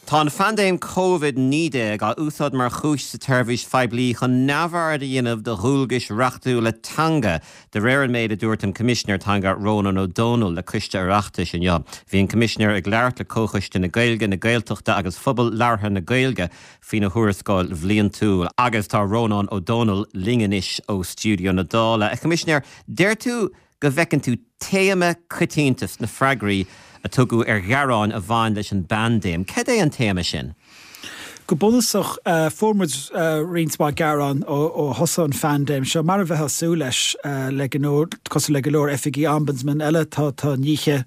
Tá an phaindéim Covid-19 á úsáid mar chúis sa tseirbhís phoiblí chun neamhaird a dhéanamh de dhualgais reachtúla teanga, de réir an méid a dúirt an Coimisinéir Teanga Rónán Ó Domhnaill le Coiste Oireachtais inniu. Bhí an Coimisinéir ag labhairt le Comhchoiste na Gaeilge, na Gaeltachta agus Phobal Labhartha na Gaeilge faoina thuarascáil bhliantúil. Agus tá Rónán Ó Domhnaill linn anois ó stiúideo na Dála. A Choimisinéir, deir tú go bhfeiceann tú téama coitianta sna freagraí a tugadh ar ghearáin a bhain leis an bpaindéim. Cad é an téama sin? Go bunúsach, fuair muid roinnt mhaith gearán ó thosaigh an phaindéim seo, mar a bheifeá ag súil leis, le go leor, cosúil le go leor oifigí ombudsman eile, tá tá nithe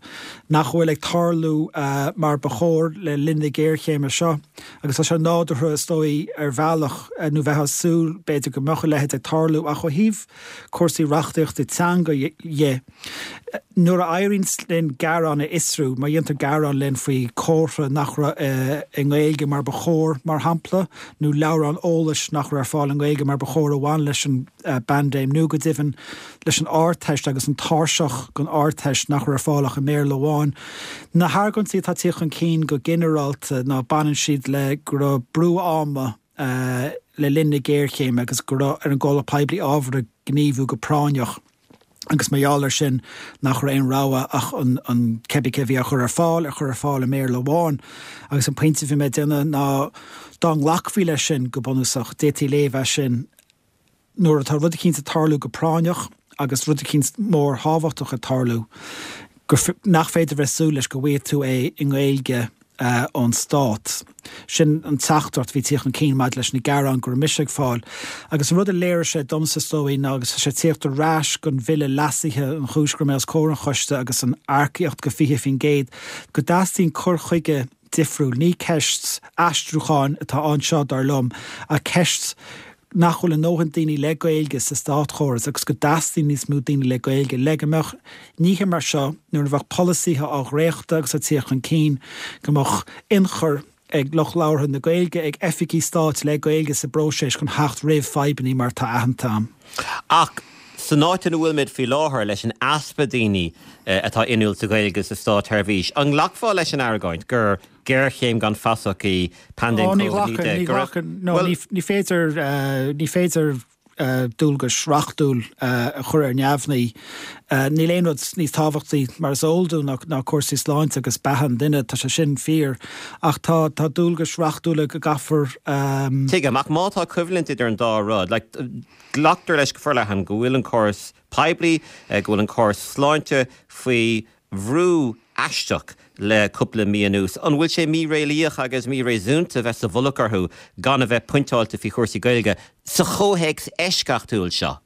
nach bhfuil ag tarlú mar ba chóir le linn na géarchéime seo. Agus tá sé nádúrtha, is dóigh, ar bhealach, nó bheifeá ag súil, b'fhéidir, go mbeadh a leithéid ag tarlú, ach ó thaobh cúrsaí reachtaíochta teanga dhe. Nuair a éiríonn linn gearán a fhiosrú, má dhéantar gearán linn faoi chomhartha nach raibh i nGaeilge mar ba chóir, mar shampla, nó leabhrán eolais nach raibh ar fáil i nGaeilge mar ba chóir a bhain leis an bpaindéim, nó go deimhin leis an Ardteist agus an tairseach don Ardteist nach raibh ar fáil ach i mBéarla amháin. Na hargóintí atá ag tíocht chun cinn go ginearálta ná baineann siad le go raibh brú ama le linn na géarchéime agus go raibh ar an gcomhlacht poiblí ábhartha gníomhú go práinneach agus mar gheall air sin nach raibh aon rogha ach an cibé cé a bhí á chur ar fáil a chur ar fáil i mBéarla amháin. Agus an pointe a bhí mé ag déanamh ná dá nglacfaí leis sin go bunúsach, d'fhéadfaí léamh as sin, nuair atá rud eicínt ag tarlú go práinneach agus rud eicínt mór thábhachtach ag tarlú, gur, nach féidir bheith ag súil leis go bhfaighidh tú é i nGaeilge ón Stát. Sin an teachtaireacht a bhí ag tíocht chun cinn maidir leis na gearáin go raibh mise ag fáil. Agus an rud a léirigh sé domsa is dóigh ná, agus tá sé ag tíocht ar ais don bhille leasaithe, an chúis go raibh mé os comhair an choiste agus an earcaíocht go 20%, go dteastaíonn cur chuige difriúil. Ní ceist aistriúcháin atá anseo, dar liom, ach ceist nach bhfuil a ndóthain daoine le Gaeilge sa státchóras agus go dteastaíonn níos mó daoine le Gaeilge le go mbeadh nithe mar seo, nuair a bheadh polasaithe á dhréachtadh agus ag tíocht chun cinn, go mbeadh ionchur ag lucht labhartha na Gaeilge, ag oifigigh stáit le Gaeilge sa bpróiseas chun theacht roimh fadhbanna mar atá aitheanta ann. Ach san áit ina bhfuilimid faoi láthair, leis an easpa daoine atá inniúil sa Ghaeilge sa státsheirbhís, an nglacfá leis an argóint gur géarchéim gan fasach í paindéim Ó, ní Covid-19? ghlacfainn, ní Go raibh, ghlacfainn, no, bhuel, ní, ní féidir, ní féidir dualgais reachtúil a chur ar neamhní. Níl aon rud níos tábhachtaí, mar is eol dúinn, ná, ná cúrsaí sláinte agus beatha an duine, tá sé sin fíor. Ach tá, tá dualgais reachtúla go gcaithfear. Tuigim, ach má tá coimhlint idir an dá rud, like, glactar leis go forleathan go bhfuil an córas poiblí, go bhfuil an córas sláinte faoi bhrú aisteach le cúpla mí anuas. An bhfuil sé míréalaíoch agus míréasúnta bheith sa mhullach orthu gan a bheith pointeáilte faoi chúrsaí Gaeilge sa chomhthéacs eisceachtúil seo?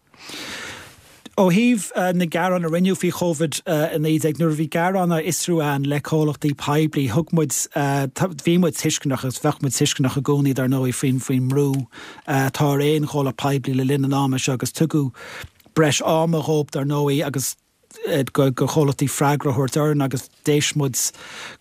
Ó thaobh na gearán a rinneadh faoi Covid-19, nuair a bhí gearáin á fhiosrú againn le comhlachtaí poiblí, thug muid, bhí muid tuisceanach agus bheadh muid tuisceanach i gcónaí dar ndóigh faoin faoin mbrú atá ar aon chomhlacht poiblí le linn an ama seo agus tugadh breis ama dhóibh dar ndóigh agus. do chomhlachtaí freagra a thabhairt orainn agus d'éist muid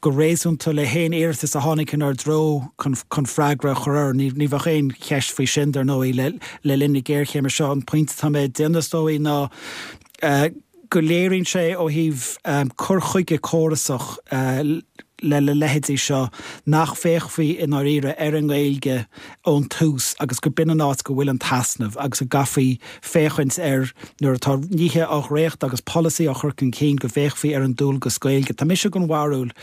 go réasúnta le haon iarratas a tháinig inár dtreo chun freagra a chur orthu. Ní bheadh aon cheist faoi sin, dar ndóigh, le linn na géarchéime seo. An pointe atá mé ag déanamh, is dóigh, ná go léiríonn sé ó thaobh cur chuige córasach le le leithéidí seo nach bhféachfaí i ndáiríre ar an nGaeilge ón tús agus go b'in an áit go bhfuil an t-easnamh agus go gcaithfí féachaint air nuair atá nithe á dhréachtadh agus polasaí á chur chun cinn go bhféachfaí ar an dualgas Gaeilge. Tá mise den bharúil,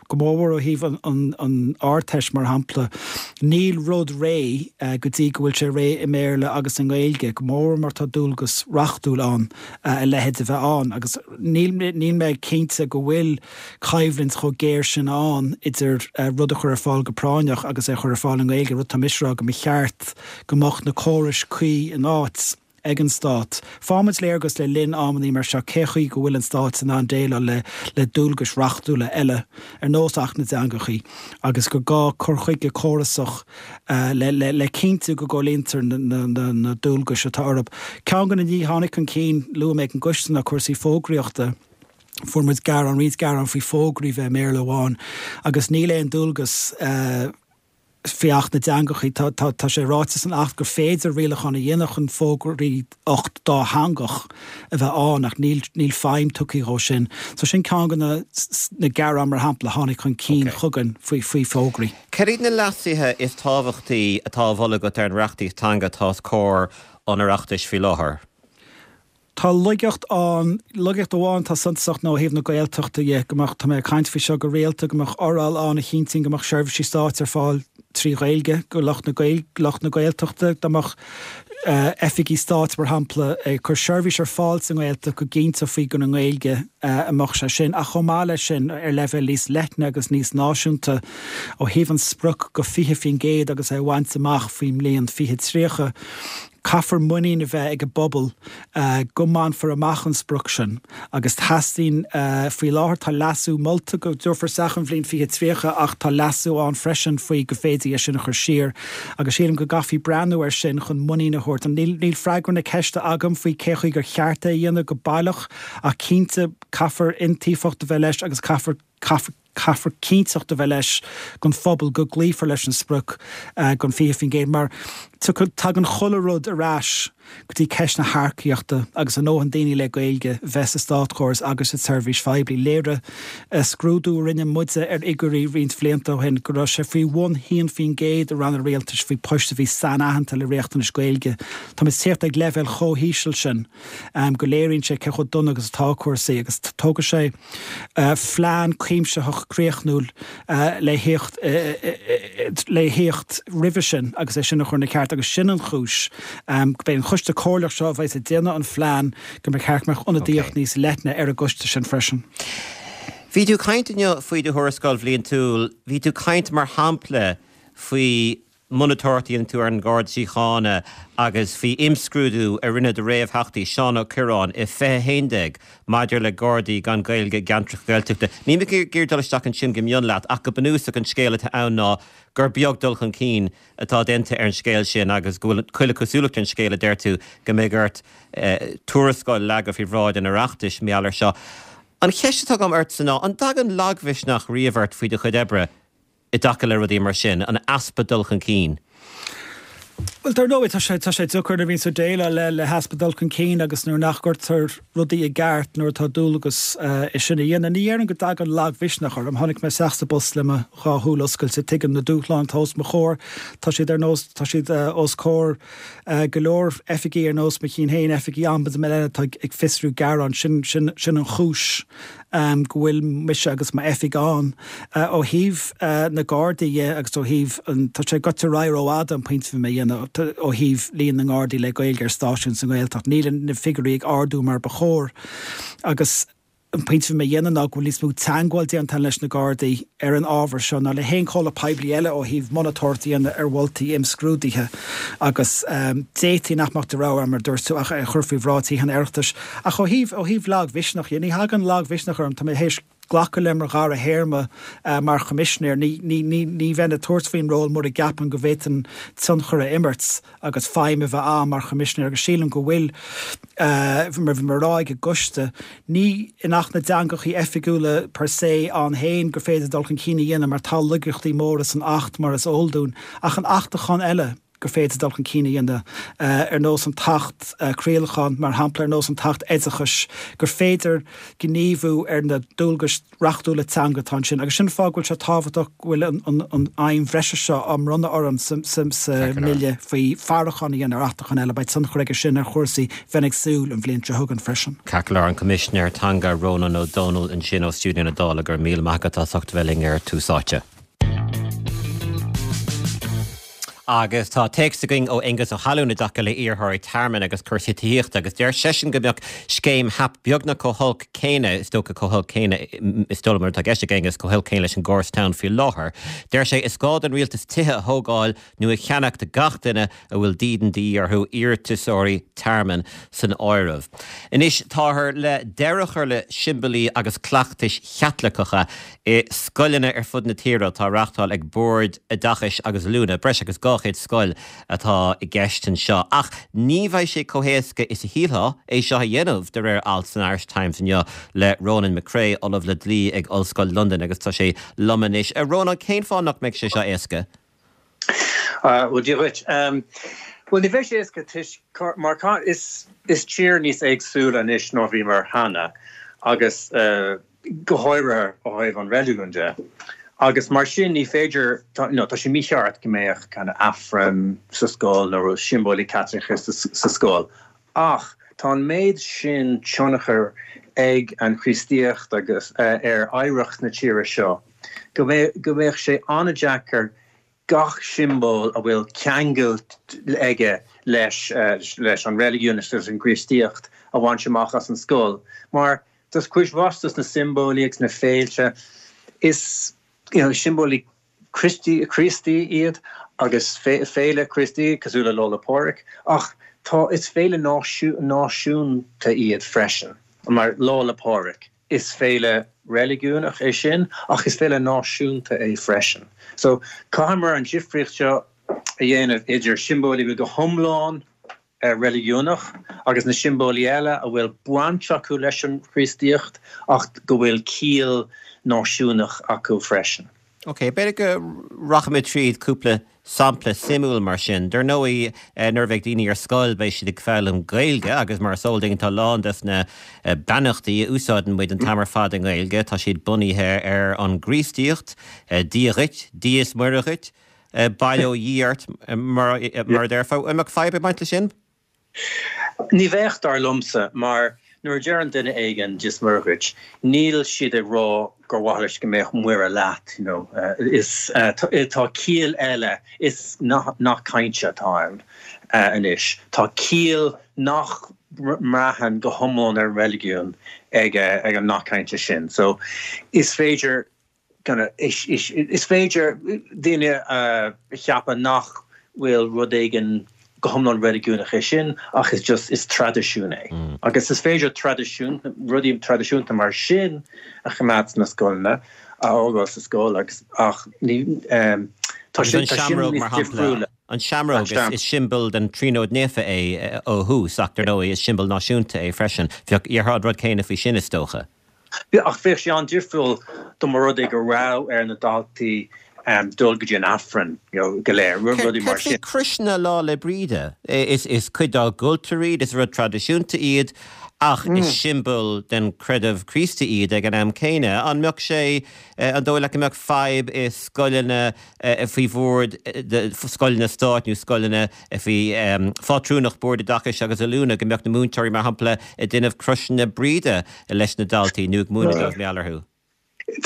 go mórmhór ó thaobh an Ardteist mar shampla, níl rud réidh go dtí go bhfuil sé réidh i mBéarla agus i nGaeilge, go mórmhór mar tá dualgas reachtúil ann a leithéid a bheith ann agus níl mé cinnte go bhfuil coimhlint chomh géar sin ann idir rud a chur ar fáil go práinneach agus é a chur ar fáil i nGaeilge, rud atá mise a rá go mba cheart go mbeadh na córais cuí in áit ag an Stát. Faighimid léargas le linn amannaí mar seo cé chaoi go bhfuil an Stát in ann déileáil le le dualgais reachtúla eile ar nós Acht na dTeangachaí agus gur gá cur chuige córasach le le le cinntiú go gcomhlíontar na na na dualgais atá orthu. Ceann de na nithe a tháinig chun cinn, luaigh mé ag an gcoiste ná cúrsaí fógraíochta. Fuair muid gearán, roinnt gearán faoi fógraí bheith i mBéarla amháin agus níl aon dualgas faoi Acht na dTeangachaí. Tá, tá, tá sé ráite san Acht gur féidir rialachán a dhéanamh chun fógraíocht dátheangach a bheith ann ach níl, níl feidhm tugtha dhó sin. So sin ceann de na, na gearáin, mar shampla, a tháinig chun cinn chugainn faoi, faoi fógraí. Cad iad na leasuithe is tábhachtaí atá á mholadh agat ar an reachtaíocht teanga atá os comhair an Oireachtais faoi láthair? Tá laigeacht ann, laigeacht amháin atá suntasach ná ó thaobh na Gaeltachta dhe, go mbeadh, tá mé ag caint faoi seo go rialta, go mbeadh fhoráil ann a chinntíonn go mbeadh seirbhísí stáit ar fáil trí Ghaeilge go lucht na lucht na Gaeltachta, dá mbeadh oifigí stáit, mar shampla, ag cur seirbhís ar fáil sa nGaeltacht go gcinnteofaí gur i nGaeilge a mbeadh sé sin. Ach chomh maith leis sin, ar leibhéal níos leithne agus níos náisiúnta, ó thaobh an sprioc go 20% agus é a bhaint amach faoin mbliain 2030, Caithfear muinín a bheith ag an bpobal go mbainfear amach an sprioc sin agus teastaíonn, faoi láthair tá leasú molta go dtabharfar isteach an bhliain 2030 ach tá leasú ann freisin faoi go bhféadfaí é sin a chur siar agus sílim go gcaithfí breathnú air sin chun muinín a thabhairt. Níl freagra na ceiste agam faoi cé chaoi gur cheart é a dhéanamh go baileach ach cinnte caithfear iontaofacht a bheith leis agus caithfear Caithfear cinnteacht a bheith leis don phobal go gcloífear leis an sprioc den 20% mar tagann chuile rud ar ais go dtí ceist na hearcaíochta agus a ndóthain daoine le Gaeilge bheith sa státchóras agus sa tseirbhís phoiblí. Léirigh scrúdú a rinne muide ar fhigiúirí roinnt bhlianta ó shin go raibh sé faoi bhun 1% i ranna rialtais faoi poist a bhí sainaitheanta le riachtanais Gaeilge. Táimid ag tíocht ag leibhéal chomh híseal sin go léiríonn sé cé chomh dona agus atá cúrsaí agus tógfaidh sé phlean cuimsitheach críochnúil le thíocht le thíocht roimhe sin agus é sin a chur ina cheart agus sin an chúis go mbeidh an choiste comhairleach seo a bheas ag déanamh an phlean go mba cheart go mbeadh ionadaíocht níos leithne ar an gcoiste sin freisin. Bhí tú ag caint inniu faoi do thuarascáil bhliantúil, bhí tú ag caint mar shampla faoi monatóireacht a dhéanann tú ar an Gharda Síochána agus faoi imscrúdú a rinne do réamhtheachtaí, Seán Ó Cuirreáin, i 2011 maidir le Gardaí gan Gaeilge i gceantracha Gaeltachta. Níl mé ag iarraidh dul isteach ansin go mion leat ach go bunúsach an scéal atá ann ná gur beag dul chun cinn atá déanta ar an scéal sin agus go bhfuil chuile chosúlacht ar an scéal a deir tú go mbeidh ort tuarascáil a leagadh faoi bhráid an Oireachtais mar gheall air seo. An cheist atá agam ortsa ná an dtagann lagmhisneach riamh ort faoi do chuid oibre? i dtaca le rudaí mar sin, an easpa dul chun cinn? Bhuel, dar ndóigh, tá sé, tá sé deacair nuair a bhíonn tú ag déileáil le, le heaspa dul chun cinn agus nuair nach gcuirtear rudaí i gceart nuair atá dualgas é sin a dhéanamh. Ní dhéarfainn go dtagann lagmhisneach orm. Tháinig mé isteach sa bpost le mo dhá shúil oscailte. Tuigim na dúshláin atá os mo chomhair. Tá siad ar nós, tá siad os comhair go leor oifigí ar nós mo chinn féin, oifigí ombudsman eile atá ag fiosrú gearán. Sin, sin, sin an chúis. go bhfuil mise agus m'oifig ann. Ó thaobh na Gardaí dhe agus ó thaobh an, tá sé gaibhte ar aghaidh rófhada an pointe a bhí mé a dhéanamh, ó thaobh líon na nGardaí le Gaeilge ar stáisiún sa nGaeltacht, níl na figiúirí ag ardú mar ba chóir agus an pointe a bhí mé a dhéanamh ná go bhfuil níos mó teagmháil déanta leis na Gardaí ar an ábhar seo ná le haon chomhlacht poiblí eile ó thaobh monatóireacht a dhéanamh ar mholtaí imscrúdaithe agus d'fhéadfaí nach mbeadh de rogha agam, mar a dúirt tú, ach é a chur faoi bhráid Thithe an Oireachtais. Ach ó thaobh, ó thaobh lagmhisneach dhe, ní thagann lagmhisneach orm, tá mé théis. Glacadh liom ar dhara théarma mar Choimisinéir. Ní bheinn ag tabhairt faoin ról mura gceapainn go bhféadfainn tionchar a imirt agus feidhm a bheith a'm mar Choimisinéir agus sílim go bhfuil, mar bhí mé a rá ag an gcoiste, ní in Acht na dTeangachaí Oifigiúla per se ann féin gur féidir dul chun cinn a dhéanamh mar tá laigeachtaí móra san Acht mar is eol dúinn ach in achtachán eile, gur féidir dul chun cinn a dhéanamh, ar nós an tAcht Craolacháin, mar shampla, ar nós an tAcht Oideachais, gur féidir gníomhú ar na dualgais reachtúla teanga atá ansin. Agus sin an fáth go bhfuil sé tábhachtach go bhfuil an fheidhm bhreise seo á mbronnadh orainn sa mBille faoi faireachán a dhéanamh ar achtacháin eile. Beidh tionchar aige sin ar chúrsaí, bheinn ag súil, an bhliain seo chugainn freisin. Ceart go leor, an Coimisinéir Teanga Rónán Ó Domhnaill ansin ó stiúideo na Dála, go raibh míle maith agat as ucht a bheith linn ar Tús Áite. Agus tá téacs againn ó Aengus Ó hAlmhain i dtaca le iarrthóirí tearmainn agus cúrsaí tithíochta agus deir seisean go mbeadh scéim HAP beagnach chomh holc céanna, is dócha chomh holc céanna, is dóigh liom an rud atá i gceist ag Aengus, chomh holc céanna leis an gcóras atá ann faoi láthair. Deir sé is gá don rialtas tithe a thógáil nó a cheannach do gach duine a bhfuil dídean de dhíth orthu, iarratasóirí tearmainn san áireamh. Anois táthar le deireadh a chur le siombailí agus cleachtais Chaitliceacha i scoileanna ar fud na tíre atá á reáchtáil ag Boird Oideachais agus Oiliúna, breis agus 200 scoil atá i gceist anseo. Ach ní bheidh sé chomh héasca is a shílfeá é seo a dhéanamh, de réir alt san Irish Times inniu le Ronan McCrea, Ollamh le Dlí ag Ollscoil Londain agus tá sé liom anois. A Rónáin, cén fáth nach mbeidh sé seo éasca? Bhuel, Dia dhuit. Bhuel, ní bheidh sé éasca toisc mar is tír níos éagsúla anois ná bhíomar cheana agus go háirithe ó thaobh an reiligiúin de agus mar sin ní féidir, nó tá sé mícheart go mbeadh kind of Aifreann sa scoil nó siombailí Caitliceacha sa scoil ach tá an méid sin tionchair ag an Chríostaíocht agus ar oidhreacht na tíre seo go mbeadh sé an-deacair gach siombail a bhfuil ceangal aige leis leis an reiligiún agus leis an gCríostaíocht a bhaint amach as an scoil mar tá cuid mhaith dos na siombailí agus na féilte is you know siombailí Críostaí iad agus féile Críostaí cosúil le Lá 'le Pádraig ach tá is féile náisiúnta iad freisin mar Lá 'le Pádraig. Is féile reiligiúnach é sin ach is féile náisiúnta é freisin. So, caithfimid an difríocht seo a dhéanamh idir siombailí a bhfuil go hiomlán reiligiúnach agus na siombailí eile a bhfuil baint acu leis an Chríostaíocht ach go bhfuil ciall náisiúnach acu freisin. Ok, b'fhéidir go rachaimid tríd cúpla sampla suimiúil mar sin. Dar ndóigh, nuair a bheidh daoine ar scoil beidh siad ag foghlaim Gaeilge agus mar is eol duinn tá a lán des na beannachtaí a úsáideann muid an t-am ar fad i nGaeilge, tá siad bunaithe ar an gCríostaíocht, Dia dhuit, Dia is Muire dhuit, bail ó Dhia ort mar a déarfá. An mbeadh fadhb ag baint leis sin? Ní bheadh, dar liomsa, mar nuair a deireann duine éigin Dia is Muire dhuit, níl siad ag rá gur mhaith leis go mbeadh Muire leat, you know. Is, tá ciall eile, is nath cainte atá ann anois. Tá ciall nach mbraitheann go hiomlán ar an reiligiún ag an nath cainte sin. So, is féidir Is féidir daoine a cheapadh nach bhfuil rud éigin go hiomlán reiligiúnach é sin ach is just, is traidisiún é. Agus is féidir traidisiún, rudaí traidisiúnta mar sin a choimeád sna scoileanna, a fhágáil sa scoil agus ach ní, tá sin, tá sin níos difriúla. An seamróg, is siombail den Tríonóid Naofa é ó thús ach dar ndóigh is siombail náisiúnta é freisin. Bheadh, déarfá an rud céanna faoi sin is dócha. Ach bheadh sé an-difriúil dá mba rud é go raibh ar na daltaí dul go dtí an Aifreann go léir, rudaí mar sin. Céard faoi chroiseanna Lá 'le Bríde? Is cuid dár gcultúr iad, is rud traidisiúnta iad ach is siombail den chreideamh Críostaí iad ag an am céanna. An mbeadh sé, an dóigh leat go mbeadh fadhb i scoileanna faoi bhord scoileanna stáit nó scoileanna faoi phátrúnacht Bord Oideachais agus Oiliúna, go mbeadh na múinteoirí, mar shampla, ag déanamh croiseanna Bríde leis na daltaí nó ag múineadh dóibh mar gheall orthu.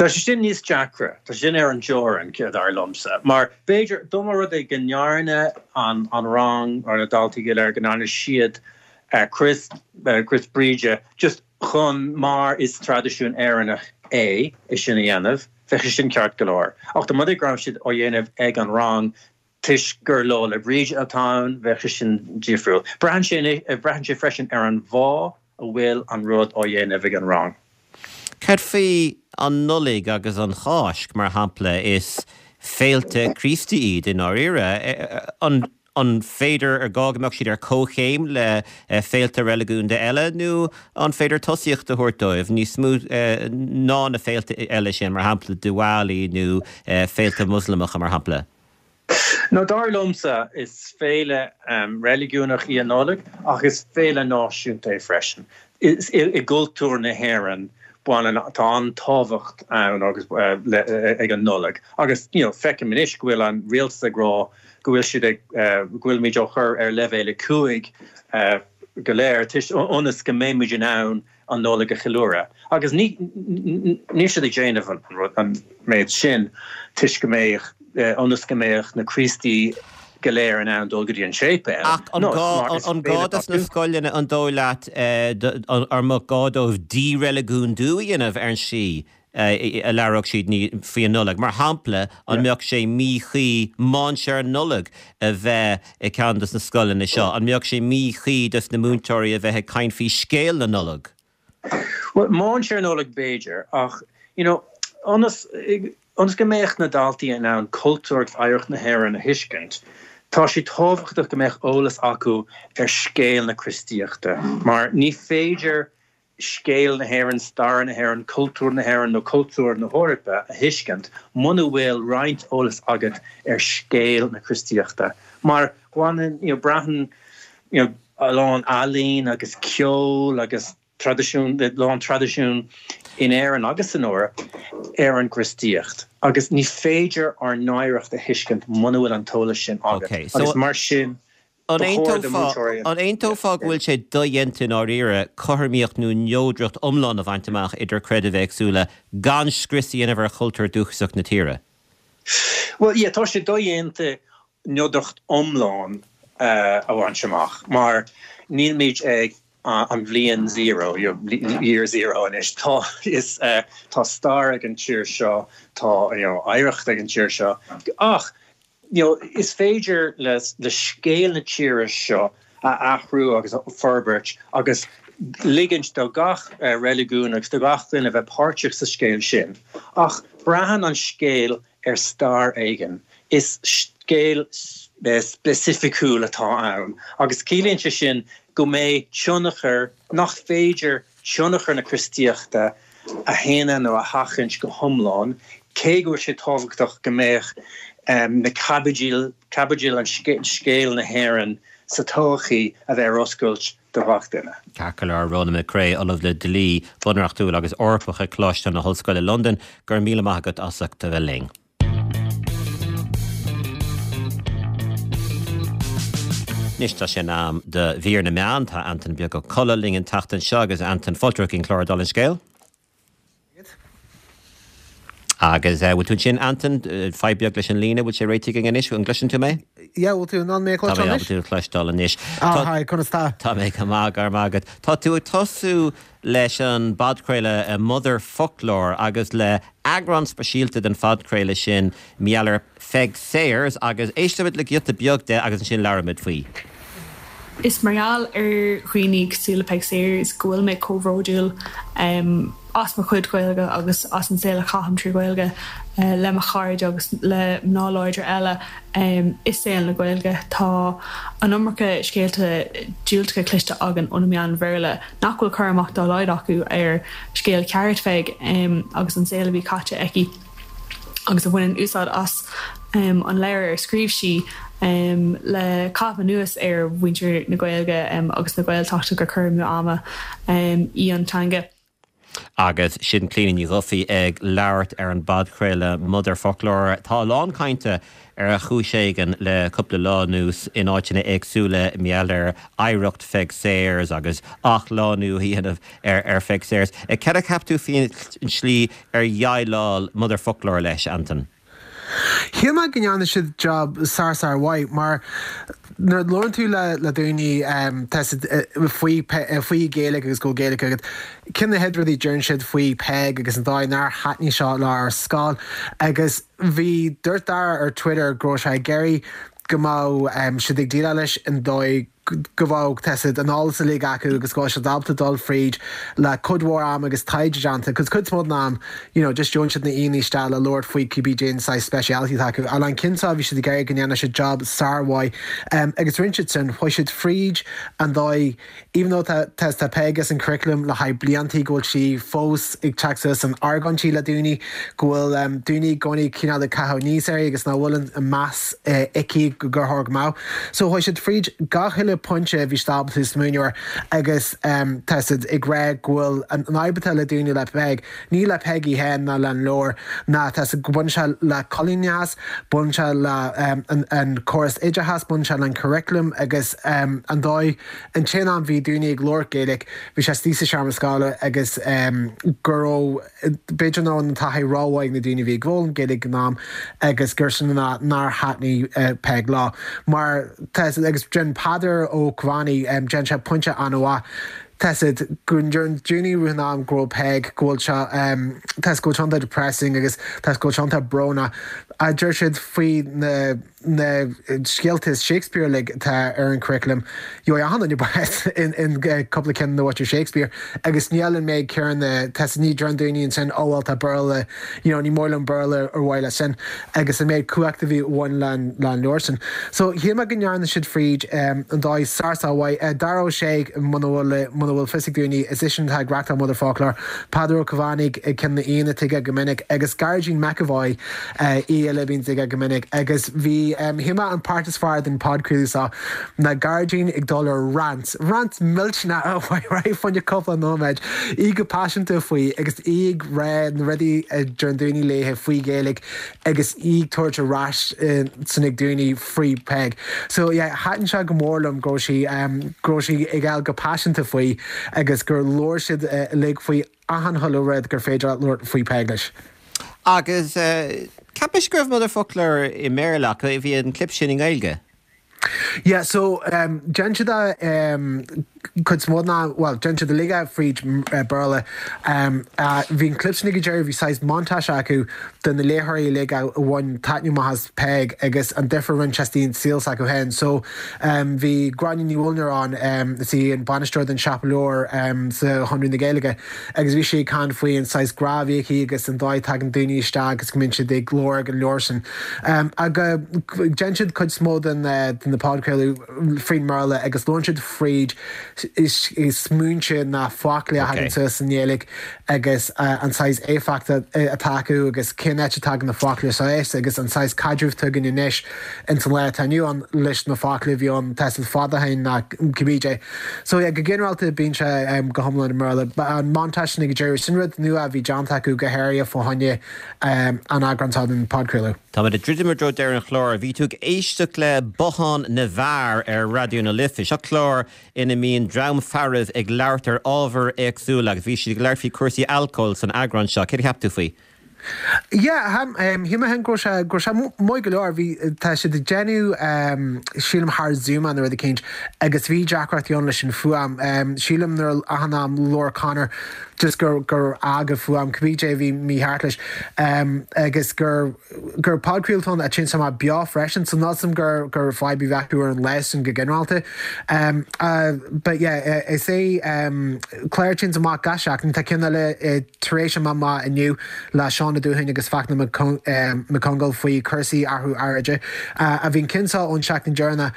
Tá sé sin níos deacra. Tá sé sin ar an dteorainn, dar liomsa. Mar b'fhéidir, dá mba rud é go ndearna an rang, nó na daltaí go léir, go ndearna siad crois, crois Bríde, just chun, mar is traidisiún Éireannach é, é sin a dhéanamh, bheadh sé sin ceart go leor. Ach dá mba rud é go raibh siad á dhéanamh ag an rang toisc gur Lá 'le Bríde atá ann, bheadh sé sin difriúil. Braitheann sé, braitheann sé freisin ar an bhfáth a bhfuil an rud á dhéanamh ag an rang. Cad faoi an Nollaig agus an Cháisc, mar shampla? Is féilte Críostaí iad i ndáiríre. An An féidir, ar gá go mbeadh siad ar comhchéim le féilte reiligiúnda eile nó an féidir tosaíocht a thabhairt dóibh níos mó ná na féilte eile sin, mar shampla Diwali nó féilte Moslamacha, mar shampla? No, dar liomsa, is féile reiligiúnach í an Nollaig ach is féile náisiúnta é freisin. I gcultúr na hÉireann, baineann, tá an-tábhacht ann agus ag an Nollaig agus, you know, feicim anois go bhfuil an rialtas ag rá go bhfuil siad ag, go bhfuilimid á chur ar leibhéal 5 go léir ionas go mbeimid in ann an Nollaig a cheiliúradh. Agus ní, níl siad ag déanamh an rud, an méid sin toisc go mbeadh, ionas go mbeadh na Críostaí go léir in ann dul go dtí an séipéal. Ach an gá, an gá dos na scoileanna, an dóigh leat, an mbeadh gá dóibh díreiligiúndú a dhéanamh ar an slí a labhródh siad faoi an Nollaig. Mar shampla, an mbeadh sé míchuí mainséar Nollag a bheith i gceann dos na scoileanna seo? An mbeadh sé míchuí dos na múinteoirí a bheith ag caint faoi scéal na Nollag? Bhuel, mainséar Nollag b'fhéidir, ach you know, ionas, ionas go mbeadh na daltaí in ann cultúr agus oidhreacht na hÉireann a thuiscint, tá sé tábhachtach go mbeadh eolas acu ar scéal na Críostaíochta, mar ní féidir scéal na hÉireann, stair na hÉireann, cultúr na hÉireann nó cultúr na hEorpa a thuiscint muna bhfuil roinnt eolas agat ar scéal na Críostaíochta. Mar baineann, you know, braitheann, you know, a lán ealaín agus ceol agus traidisiún, a lán traidisiún in Éirinn agus san Eoraip ar an gCríostaíocht agus ní féidir ár n-oidhreacht a thuiscint muna bhfuil an t-eolas sin agat agus mar sin An aontófá go bhfuil sé dodhéanta i ndáiríre cothromaíocht nó neodracht iomlán a bhaint amach idir creidimh éagsúla gan scrios a dhéanamh ar chultúr dúchasach na tíre? Bhuel, yeah, tá sé dodhéanta neodracht iomlán a bhaint amach mar nílmid ag an bhliain zero, year zero anois. Tá, is, tá stair ag an tír seo, tá, you know, oidhreacht ag an tír seo ach You know, is féidir le scéal na tíre seo a athrú agus a forbairt agus ligint do gach reiligiún agus do gach duine bheith páirteach sa scéal sin. Ach braitheann an scéal ar stair éigin. Is scéal speisificiúil atá ann agus ciallaíonn sé sin go mbeidh tionchar nach féidir tionchar na Críostaíochta a shéanadh nó a sheachaint go hiomlán, cé go bhfuil sé tábhachtach go mbeadh na caibidil, caibidil an scéal na hÉireann sa todhchaí a bheith ar oscailt do gach duine. Ceart go leor, Ronan McCrea, Ollamh le Dlí Bunreachtúil agus Eorpach ag Coláiste na hOllscoile Londain, go raibh míle maith agat as ucht a bheith linn. Anois tá sé in am do mhír na meán. Tá Antain Beag Ó Colla linn an tseachtain seo agus Antain, fáilte chuig an chlár dála an scéil. Agus bhfuil tú ansin Antain? Fadhb beag leis an líne, bhfuil sé réitithe againn anois? An gcloiseann tú mé? Yeah, bhfuil tú in ann mé a chloisteáil anois? Tá mé ábalta tú a chloisteáil anois. Ah, hi, conas tá? Tá mé go maith, go raibh maith agat. Tá tú ag tosú leis an bpodchraoladh Motherfoclóir agus le eagrán speisialta den phodchraoladh sin mar gheall ar Pheig Sayers agus éistfimid le giota beag de agus ansin labhróimid faoi. Is mar gheall ar dhaoine cosúil le Peig Sayers go bhfuil mé chomh bhródúil as mo chuid Gaeilge agus as an saol a chaithim trí Ghaeilge le mo chairde agus le mná láidre eile i saol na Gaeilge. Tá an iomarca scéalta diúltacha cloiste againn ó na meáin Bhéarla nach bhfuil cur amach dá laghad acu ar scéal ceart Pheig agus an saol a bhí caite aici agus a bhaineann úsáid as an leabhar ar scríobh sí le caitheamh anuas ar mhuintir na Gaeilge agus na Gaeltachta gur cur amú ama í an teanga. Agus sin Clíona Ní Dhufaigh ag labhairt ar an bpodchraoladh Motherfoclóir. Tá a lán cainte ar chúis éigin le cúpla lá anuas in áiteanna éagsúla mar gheall ar oidhreacht Pheig Sayers agus athshlánú a dhéanamh ar Pheig Sayers. Cad a cheap tú faoin tslí ar dhéileáil Motherfoclóir leis, Antain? Shíl mé go ndearna siad job sár sár mhaith mar nuair a labhrann tú le le daoine tá siad faoi faoi Gaeilge agus go bhfuil Gaeilge agat, ceann de na chéad rudaí a deireann siad faoi Peig agus an dóigh nár thaitnigh seo leo ar scoil agus bhí dúirt Dara ar Twitter go raibh sé ag iarraidh go mbeadh siad ag déileáil leis an dóigh. go bhfuil tá 's agat an eolas uilig acu agus go bhfuil siad ábalta dul fríd le cuid mhór am agus taighde déanta, cos cuid is mó den am, you know, just gheobhann siad na aíonna isteach le labhairt faoi cibé cén saghas speciality atá acu. Ach an ceann seo bhí siad ag iarraidh go ndéanfadh siad job sármhaith agus rinne siad sin, chuaigh siad fríd an dóigh Even though tá tá Peig as an curriculum le haghaidh bliantaí go bhfuil sí fós ag teacht suas in argóintí le daoine, go bhfuil daoine i gcónaí cineál ag caitheamh aníos uirthi agus nach bhfuil an meas aici gur chóir go mbeadh. So chuaigh siad fríd gach uile pointe a bhí siad ábalta smaoineamh air agus tá siad ag rá go bhfuil an fhadhb atá le daoine le Peig, Ní le Peig í féin ná leis an leabhar ná tá 's agat go mbaineann sé le coilíneachas, baineann sé le an córas oideachais, baineann sé le an curriculum agus an dóigh, an t-aon am bhí daoine ag labhairt Gaeilge bhí sé istigh sa seomra scoile agus go raibh, b'fhéidir nach raibh an taithí rómhaith ag na daoine a bhí ag foghlaim Gaeilge ag an am agus gur sin an fáth nár thaitnigh Peig leo. Mar tá 's agat agus déanann Peadar Ó Caomhánaigh, déanann sé pointe an-mhaith. Tá 's agat go ndeireann daoine i rith an am go raibh Peig, go bhfuil sé, tá 's agat go bhfuil sé iontach depressing agus tá 's agat go bhfuil sé iontach brónach. A deir siad faoi na na scéalta Shakespeare uilig atá ar an curriculum. Gheobhaidh achan duine bás in in cúpla ceann de mhuintir Shakespeare agus níl an méid céanna, tá 's agat ní deireann daoine ansin oh well tá Béarla, you know ní mór liom Béarla ar mhaith leis sin agus an méid cumhachta a bhí bhain le an leabhar sin. So shíl mé go ndearna siad fríd an dóigh sár sár mhaith. Dara Ó Sé muna bhfuil muna bhfuil fios ag daoine is eisean atá ag reachtáil Motherfoclóir, Peadar Ó Caomhánaigh ceann de na aíonna atá aige go minic agus Gearóidín McEvoy aoi eile a bhíonns aige go minic agus bhí shíl mé an páirt is fearr den podchraoladh seo ná Gearóidín ag dul ar rant Rant millteanach a bhí fá choinne cúpla nóiméad, í go paiseanta faoi agus í ag rá na rudaí a deireann daoine léithe faoi Ghaeilge agus í ag tabhairt ar ais san ag daoine faoi Peig. So yeah, thaitin sé go mór liom go raibh sí, go raibh sí ag gabháil go paiseanta faoi agus gur labhair siad uilig faoi achan chuile rud gur féidir leat labhairt faoi Peig leis. Agus cheap mise go raibh Motherfoclóir i mBéarla ach bhí an clip sin i nGaeilge. Yeah, so déanann siad é cuid is mó den am, bhuel, déanann siad uilig é fríd Béarla. Bhí an clip sin ag an deireadh, bhí saghas montage acu de na léitheoirí uilig a bhain taitneamh amach as Peig agus an difear a rinne sé istigh an saol s'acu féin. So bhí Gráinne Ní Mhullinir ann, is í an bainisteoir den siopa leabhar sa Chonradh na Gaeilge agus bhí sí ag caint faoi an saghas grá a bhí aici agus an dóigh a dtagann daoine isteach agus go mbíonn siad ag lorg an leabhar sin. Agus déanann siad cuid is mó de na podchraoladh fríd mBéarla agus labhrann siad fríd smaointe na foclaí a thagann suas sa nGaeilge agus an saghas éifeacht atá acu agus cén áit a dtagann na foclaí seo as agus an saghas caidreamh atá againn anois ins an lá atá inniu ann leis na foclaí a bhí ann tá 's agat fada ó shin ná cibé dé. So yeah, go ginearálta bíonn sé go hiomlán i mBéarla. An montage sin ag an deireadh, sin rud nua a bhí déanta acu go háirithe fá choinne an eagrán seo den podchraoladh. Táimid ag druidim i dtreo deireadh an chláir. Bhí tú ag éisteacht le Bothán na bhFear ar Raidió na Life. Seo clár ina mbíonn dream fearaibh ag labhairt ar ábhair éagsúla agus bhí siad ag labhairt faoi chúrsaí alcóil san eagrán seo. Céard a cheap tú faoi? Yeah, shíl mé féin go raibh sé, go raibh sé maith go leor. Bhí, tá siad ag déanamh, sílim thar Zoom nó rud eicínt agus bhí deacrachtaí ann leis an fuaim. Sílim nuair achan am labhair Conor just gur gur fhág an fuaim cibé dé a bhí mícheart leis agus gur gur podchraoladh ann a téann amach beo freisin so níl 's a'm gur gur fadhb a bhí acu ar an lá sin go ginearálta. But yeah is é clár a téann amach gach seachtain tá ceann eile tar éis a bheith amach inniu le Seán Ó Dúthain agus Fachtna Mac Congáil faoi cúrsaí athrú aeráide. A bhí an ceann seo ón seachtain deireanach.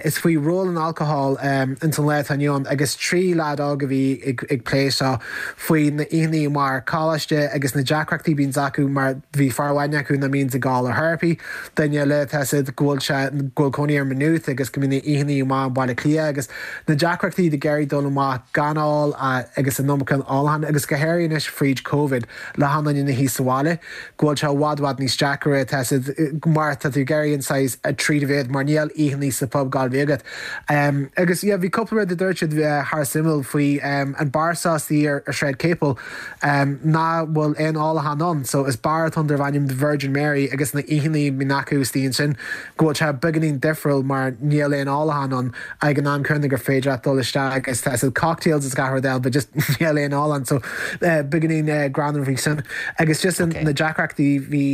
Is faoi ról an alcohol ins an lá atá inniu ann agus 3 leaid óg a bhí ag plé seo faoi na oícheannaí amuigh ar coláiste agus na deacrachtaí a bhíonns acu mar bhí fear amháin acu nach mbíonns ag gabháil ar therapy, duine eile tá 's agat go bhfuil sé go bhfuil cónaí air i Maynooth agus go mbíonn na oícheannaí amuigh i mBaile Átha Cliath agus na deacrachtaí ag iarraidh dul amach gan ól agus an iomarca ólacháin agus go háirithe anois fríd Covid le achan duine ina shuí sa bhaile. go bhfuil sé i bhfad bhfad níos deacra tá 's agat mar tá tú ag iarraidh an saghas treat a bheith mar níl oícheannaí sa phub ag gabháil a bheith agat. Agus yeah bhí cúpla rud a dúirt siad thar suimiúil faoi an beár seo istigh ar Sráid Capel nach bhfuil aon ólachán ann so is beár atá ann darb ainm The Virgin Mary agus na oícheannaí a bhíonn acu istigh ansin go bhfuil sé beagáinín difriúil mar níl aon ólachán ann ag an am céanna gur féidir leat dul isteach agus tá 's agat cocktails is gach rud eile but just níl aon ól ann so beagáinín greannmhar faoi sin agus just. Bhfuil fhios na deacrachtaí bhí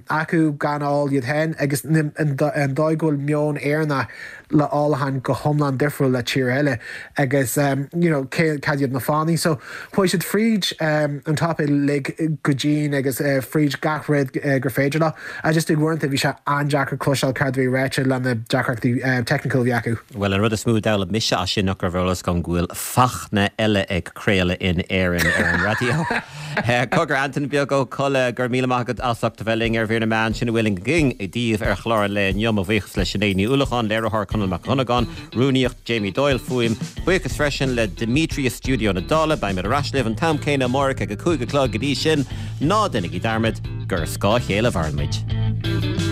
acu gan ól iad féin agus an dóigh go bhfuil meon Éireannach le ólachán go hiomlán difriúil le tír eile agus you know cé cad iad na fáthanna. So chuaigh siad fríd an topaic uilig go dian agus fríd gach rud gur féidir leo. I just uaireanta bhí sé an-deacair cloisteáil céard a bhí ráite le na deacrachtaí technical a bhí acu. Bhuel, an rud is mó a d'fhoghlaim mise as sin ach go raibh ar eolas agam go bhfuil Fachtna eile ag craoladh in Éirinn ar an raidió. Cogar, Antain Beag Ó Colla, go raibh míle maith agat as ucht a bheith linn ar Mhír na Meán. Sin a bhfuil againn daoibh ar chlár an lae inniu. Mo bhuíochas le Sinéad Ní Uallacháin, léiritheoir Conall Mac Dhonnagáin, rúnaíocht Jamie Doyle, fuaim. Buíochas freisin le Demetrius Stiúideo na Dála. Beimid ar ais libh an t-am céanna amárach ag a 5 a chlog. Go dtí sin, ná déanaigí dearmad gur ar scáth a chéile a mhaireann muid.